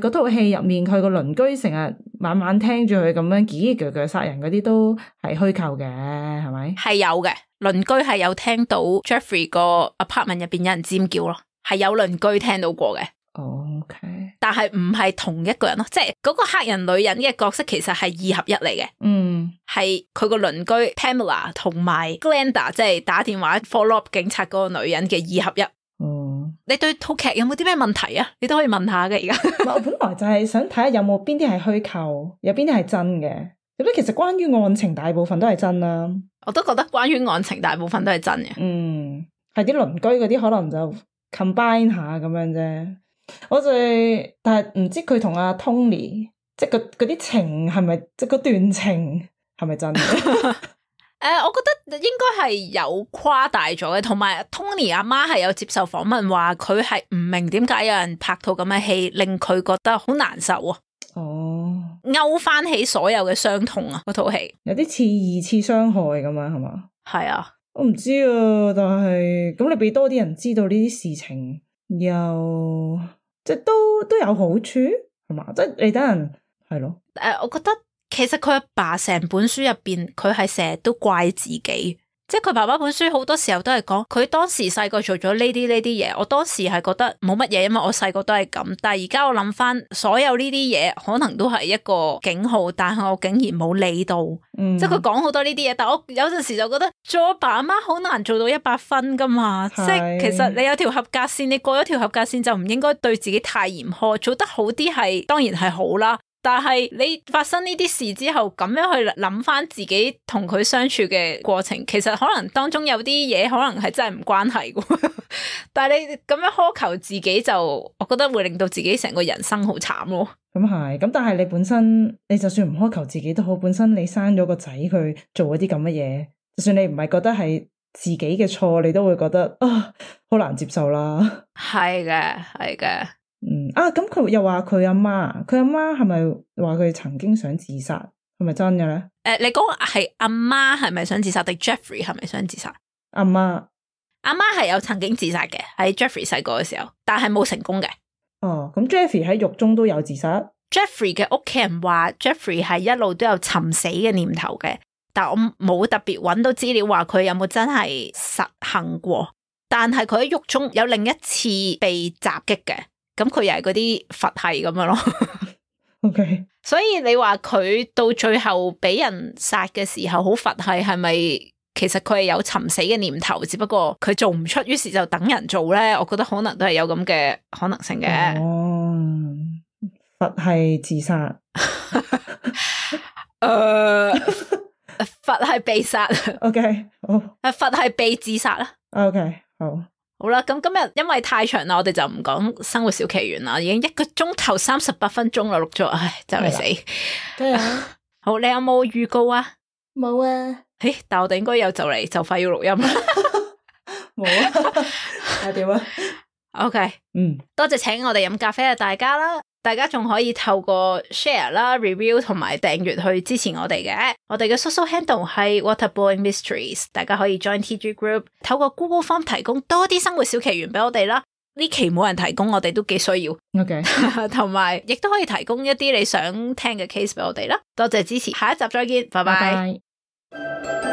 嗰套戲入面，佢個鄰居成日晚晚聽住佢咁樣嘰嘰腳腳殺人嗰啲都係虛構嘅，係咪？係有嘅，鄰居係有聽到 Jeffrey 個 apartment 入邊有人尖叫咯，係有鄰居聽到過嘅。哦 OK，但係唔係同一個人咯，即係嗰個黑人女人嘅角色其實係二合一嚟嘅。嗯，係佢個鄰居 Pamela 同埋 Glenda， 即係打電話 follow up 警察嗰個女人嘅二合一。哦，你對套劇有冇啲咩問題啊？你都可以問下嘅而家。我本來就係想睇下有冇邊啲係虛構，有邊啲係真嘅。咁其實關於案情大部分都係真啦。我都覺得關於案情大部分都係真嘅。嗯，係啲鄰居嗰啲可能就 combine 下咁樣啫。我就係，但係唔知佢同阿 Tony 即係嗰嗰啲情係咪，即係嗰段情係咪真嘅？誒、呃，我覺得應該係有誇大咗嘅，同埋 Tony 阿媽係有接受訪問話佢係唔明點解有人拍套咁嘅戲令佢覺得好難受啊！哦，勾翻起所有嘅傷痛啊！嗰套戲有啲似二次傷害咁樣係嘛？係啊，我唔知啊，但係咁你俾多啲人知道呢啲事情。又即係都都有好處係嘛？即係你等人係咯。誒、呃，我覺得其實佢阿爸成本書入邊，佢係成日都怪自己。即係佢爸爸本書好多時候都係講，佢當時細個做咗呢啲呢啲嘢。我當時係覺得冇乜嘢，因為我細個都係咁。但係而家我諗翻，所有呢啲嘢可能都係一個警號，但係我竟然冇理到。嗯、即係佢講好多呢啲嘢，但係我有陣時就覺得做阿爸阿媽好難做到一百分噶嘛。是即係其實你有條合格線，你過咗條合格線就唔應該對自己太嚴苛，做得好啲係當然係好啦。但係你發生呢啲事之後，咁樣去諗翻自己同佢相處嘅過程，其實可能當中有啲嘢可能係真係唔關係嘅。但係你咁樣苛求自己就，我覺得會令到自己成個人生好慘咯。咁係，咁但係你本身，你就算唔苛求自己都好，本身你生咗個仔佢做嗰啲咁嘅嘢，就算你唔係覺得係自己嘅錯，你都會覺得啊，好難接受啦。係嘅，係嘅。嗯啊，咁佢又話佢阿媽，佢阿媽係咪話佢曾經想自殺？係咪真嘅咧？誒、呃，你講係阿媽係咪想自殺定 Jeffrey 係咪想自殺？阿媽，阿媽係有曾經自殺嘅，喺 Jeffrey 細個嘅時候，但係冇成功嘅。哦，咁 Jeffrey 喺獄中都有自殺。Jeffrey 嘅屋企人話 Jeffrey 係一路都有尋死嘅念頭嘅，但我冇特別揾到資料話佢有冇真係實行過。但係佢喺獄中有另一次被襲擊嘅。咁佢又係嗰啲佛系咁樣咯，OK。所以你話佢到最後俾人殺嘅時候好佛系，係咪其實佢係有尋死嘅念頭，只不過佢做唔出，於是就等人做咧？我覺得可能都係有咁嘅可能性嘅。哦，佛系自殺，誒，佛系被殺。OK，好。誒，佛系被自殺啦。OK，好。好啦，咁今日因為太長啦，我哋就唔講生活小奇懸啦，已經一個鐘頭三十八分鐘啦，錄咗，唉，就嚟死。對啊，好，你有冇預告啊？冇啊。誒，但我哋應該有就嚟就快要錄音啦。冇啊。係點啊？OK，嗯，多謝請我哋飲咖啡嘅大家啦。大家仲可以透過 share 啦、review 同埋訂閱去支持我哋嘅。我哋嘅 social handle 係 Waterblowing Mysteries， 大家可以 join T G group， 透過 Google Form 提供多啲生活小奇懸俾我哋啦。呢期冇人提供，我哋都幾需要。OK， 同埋亦都可以提供一啲你想聽嘅 case 俾我哋啦。多謝支持，下一集再見，拜拜。Bye bye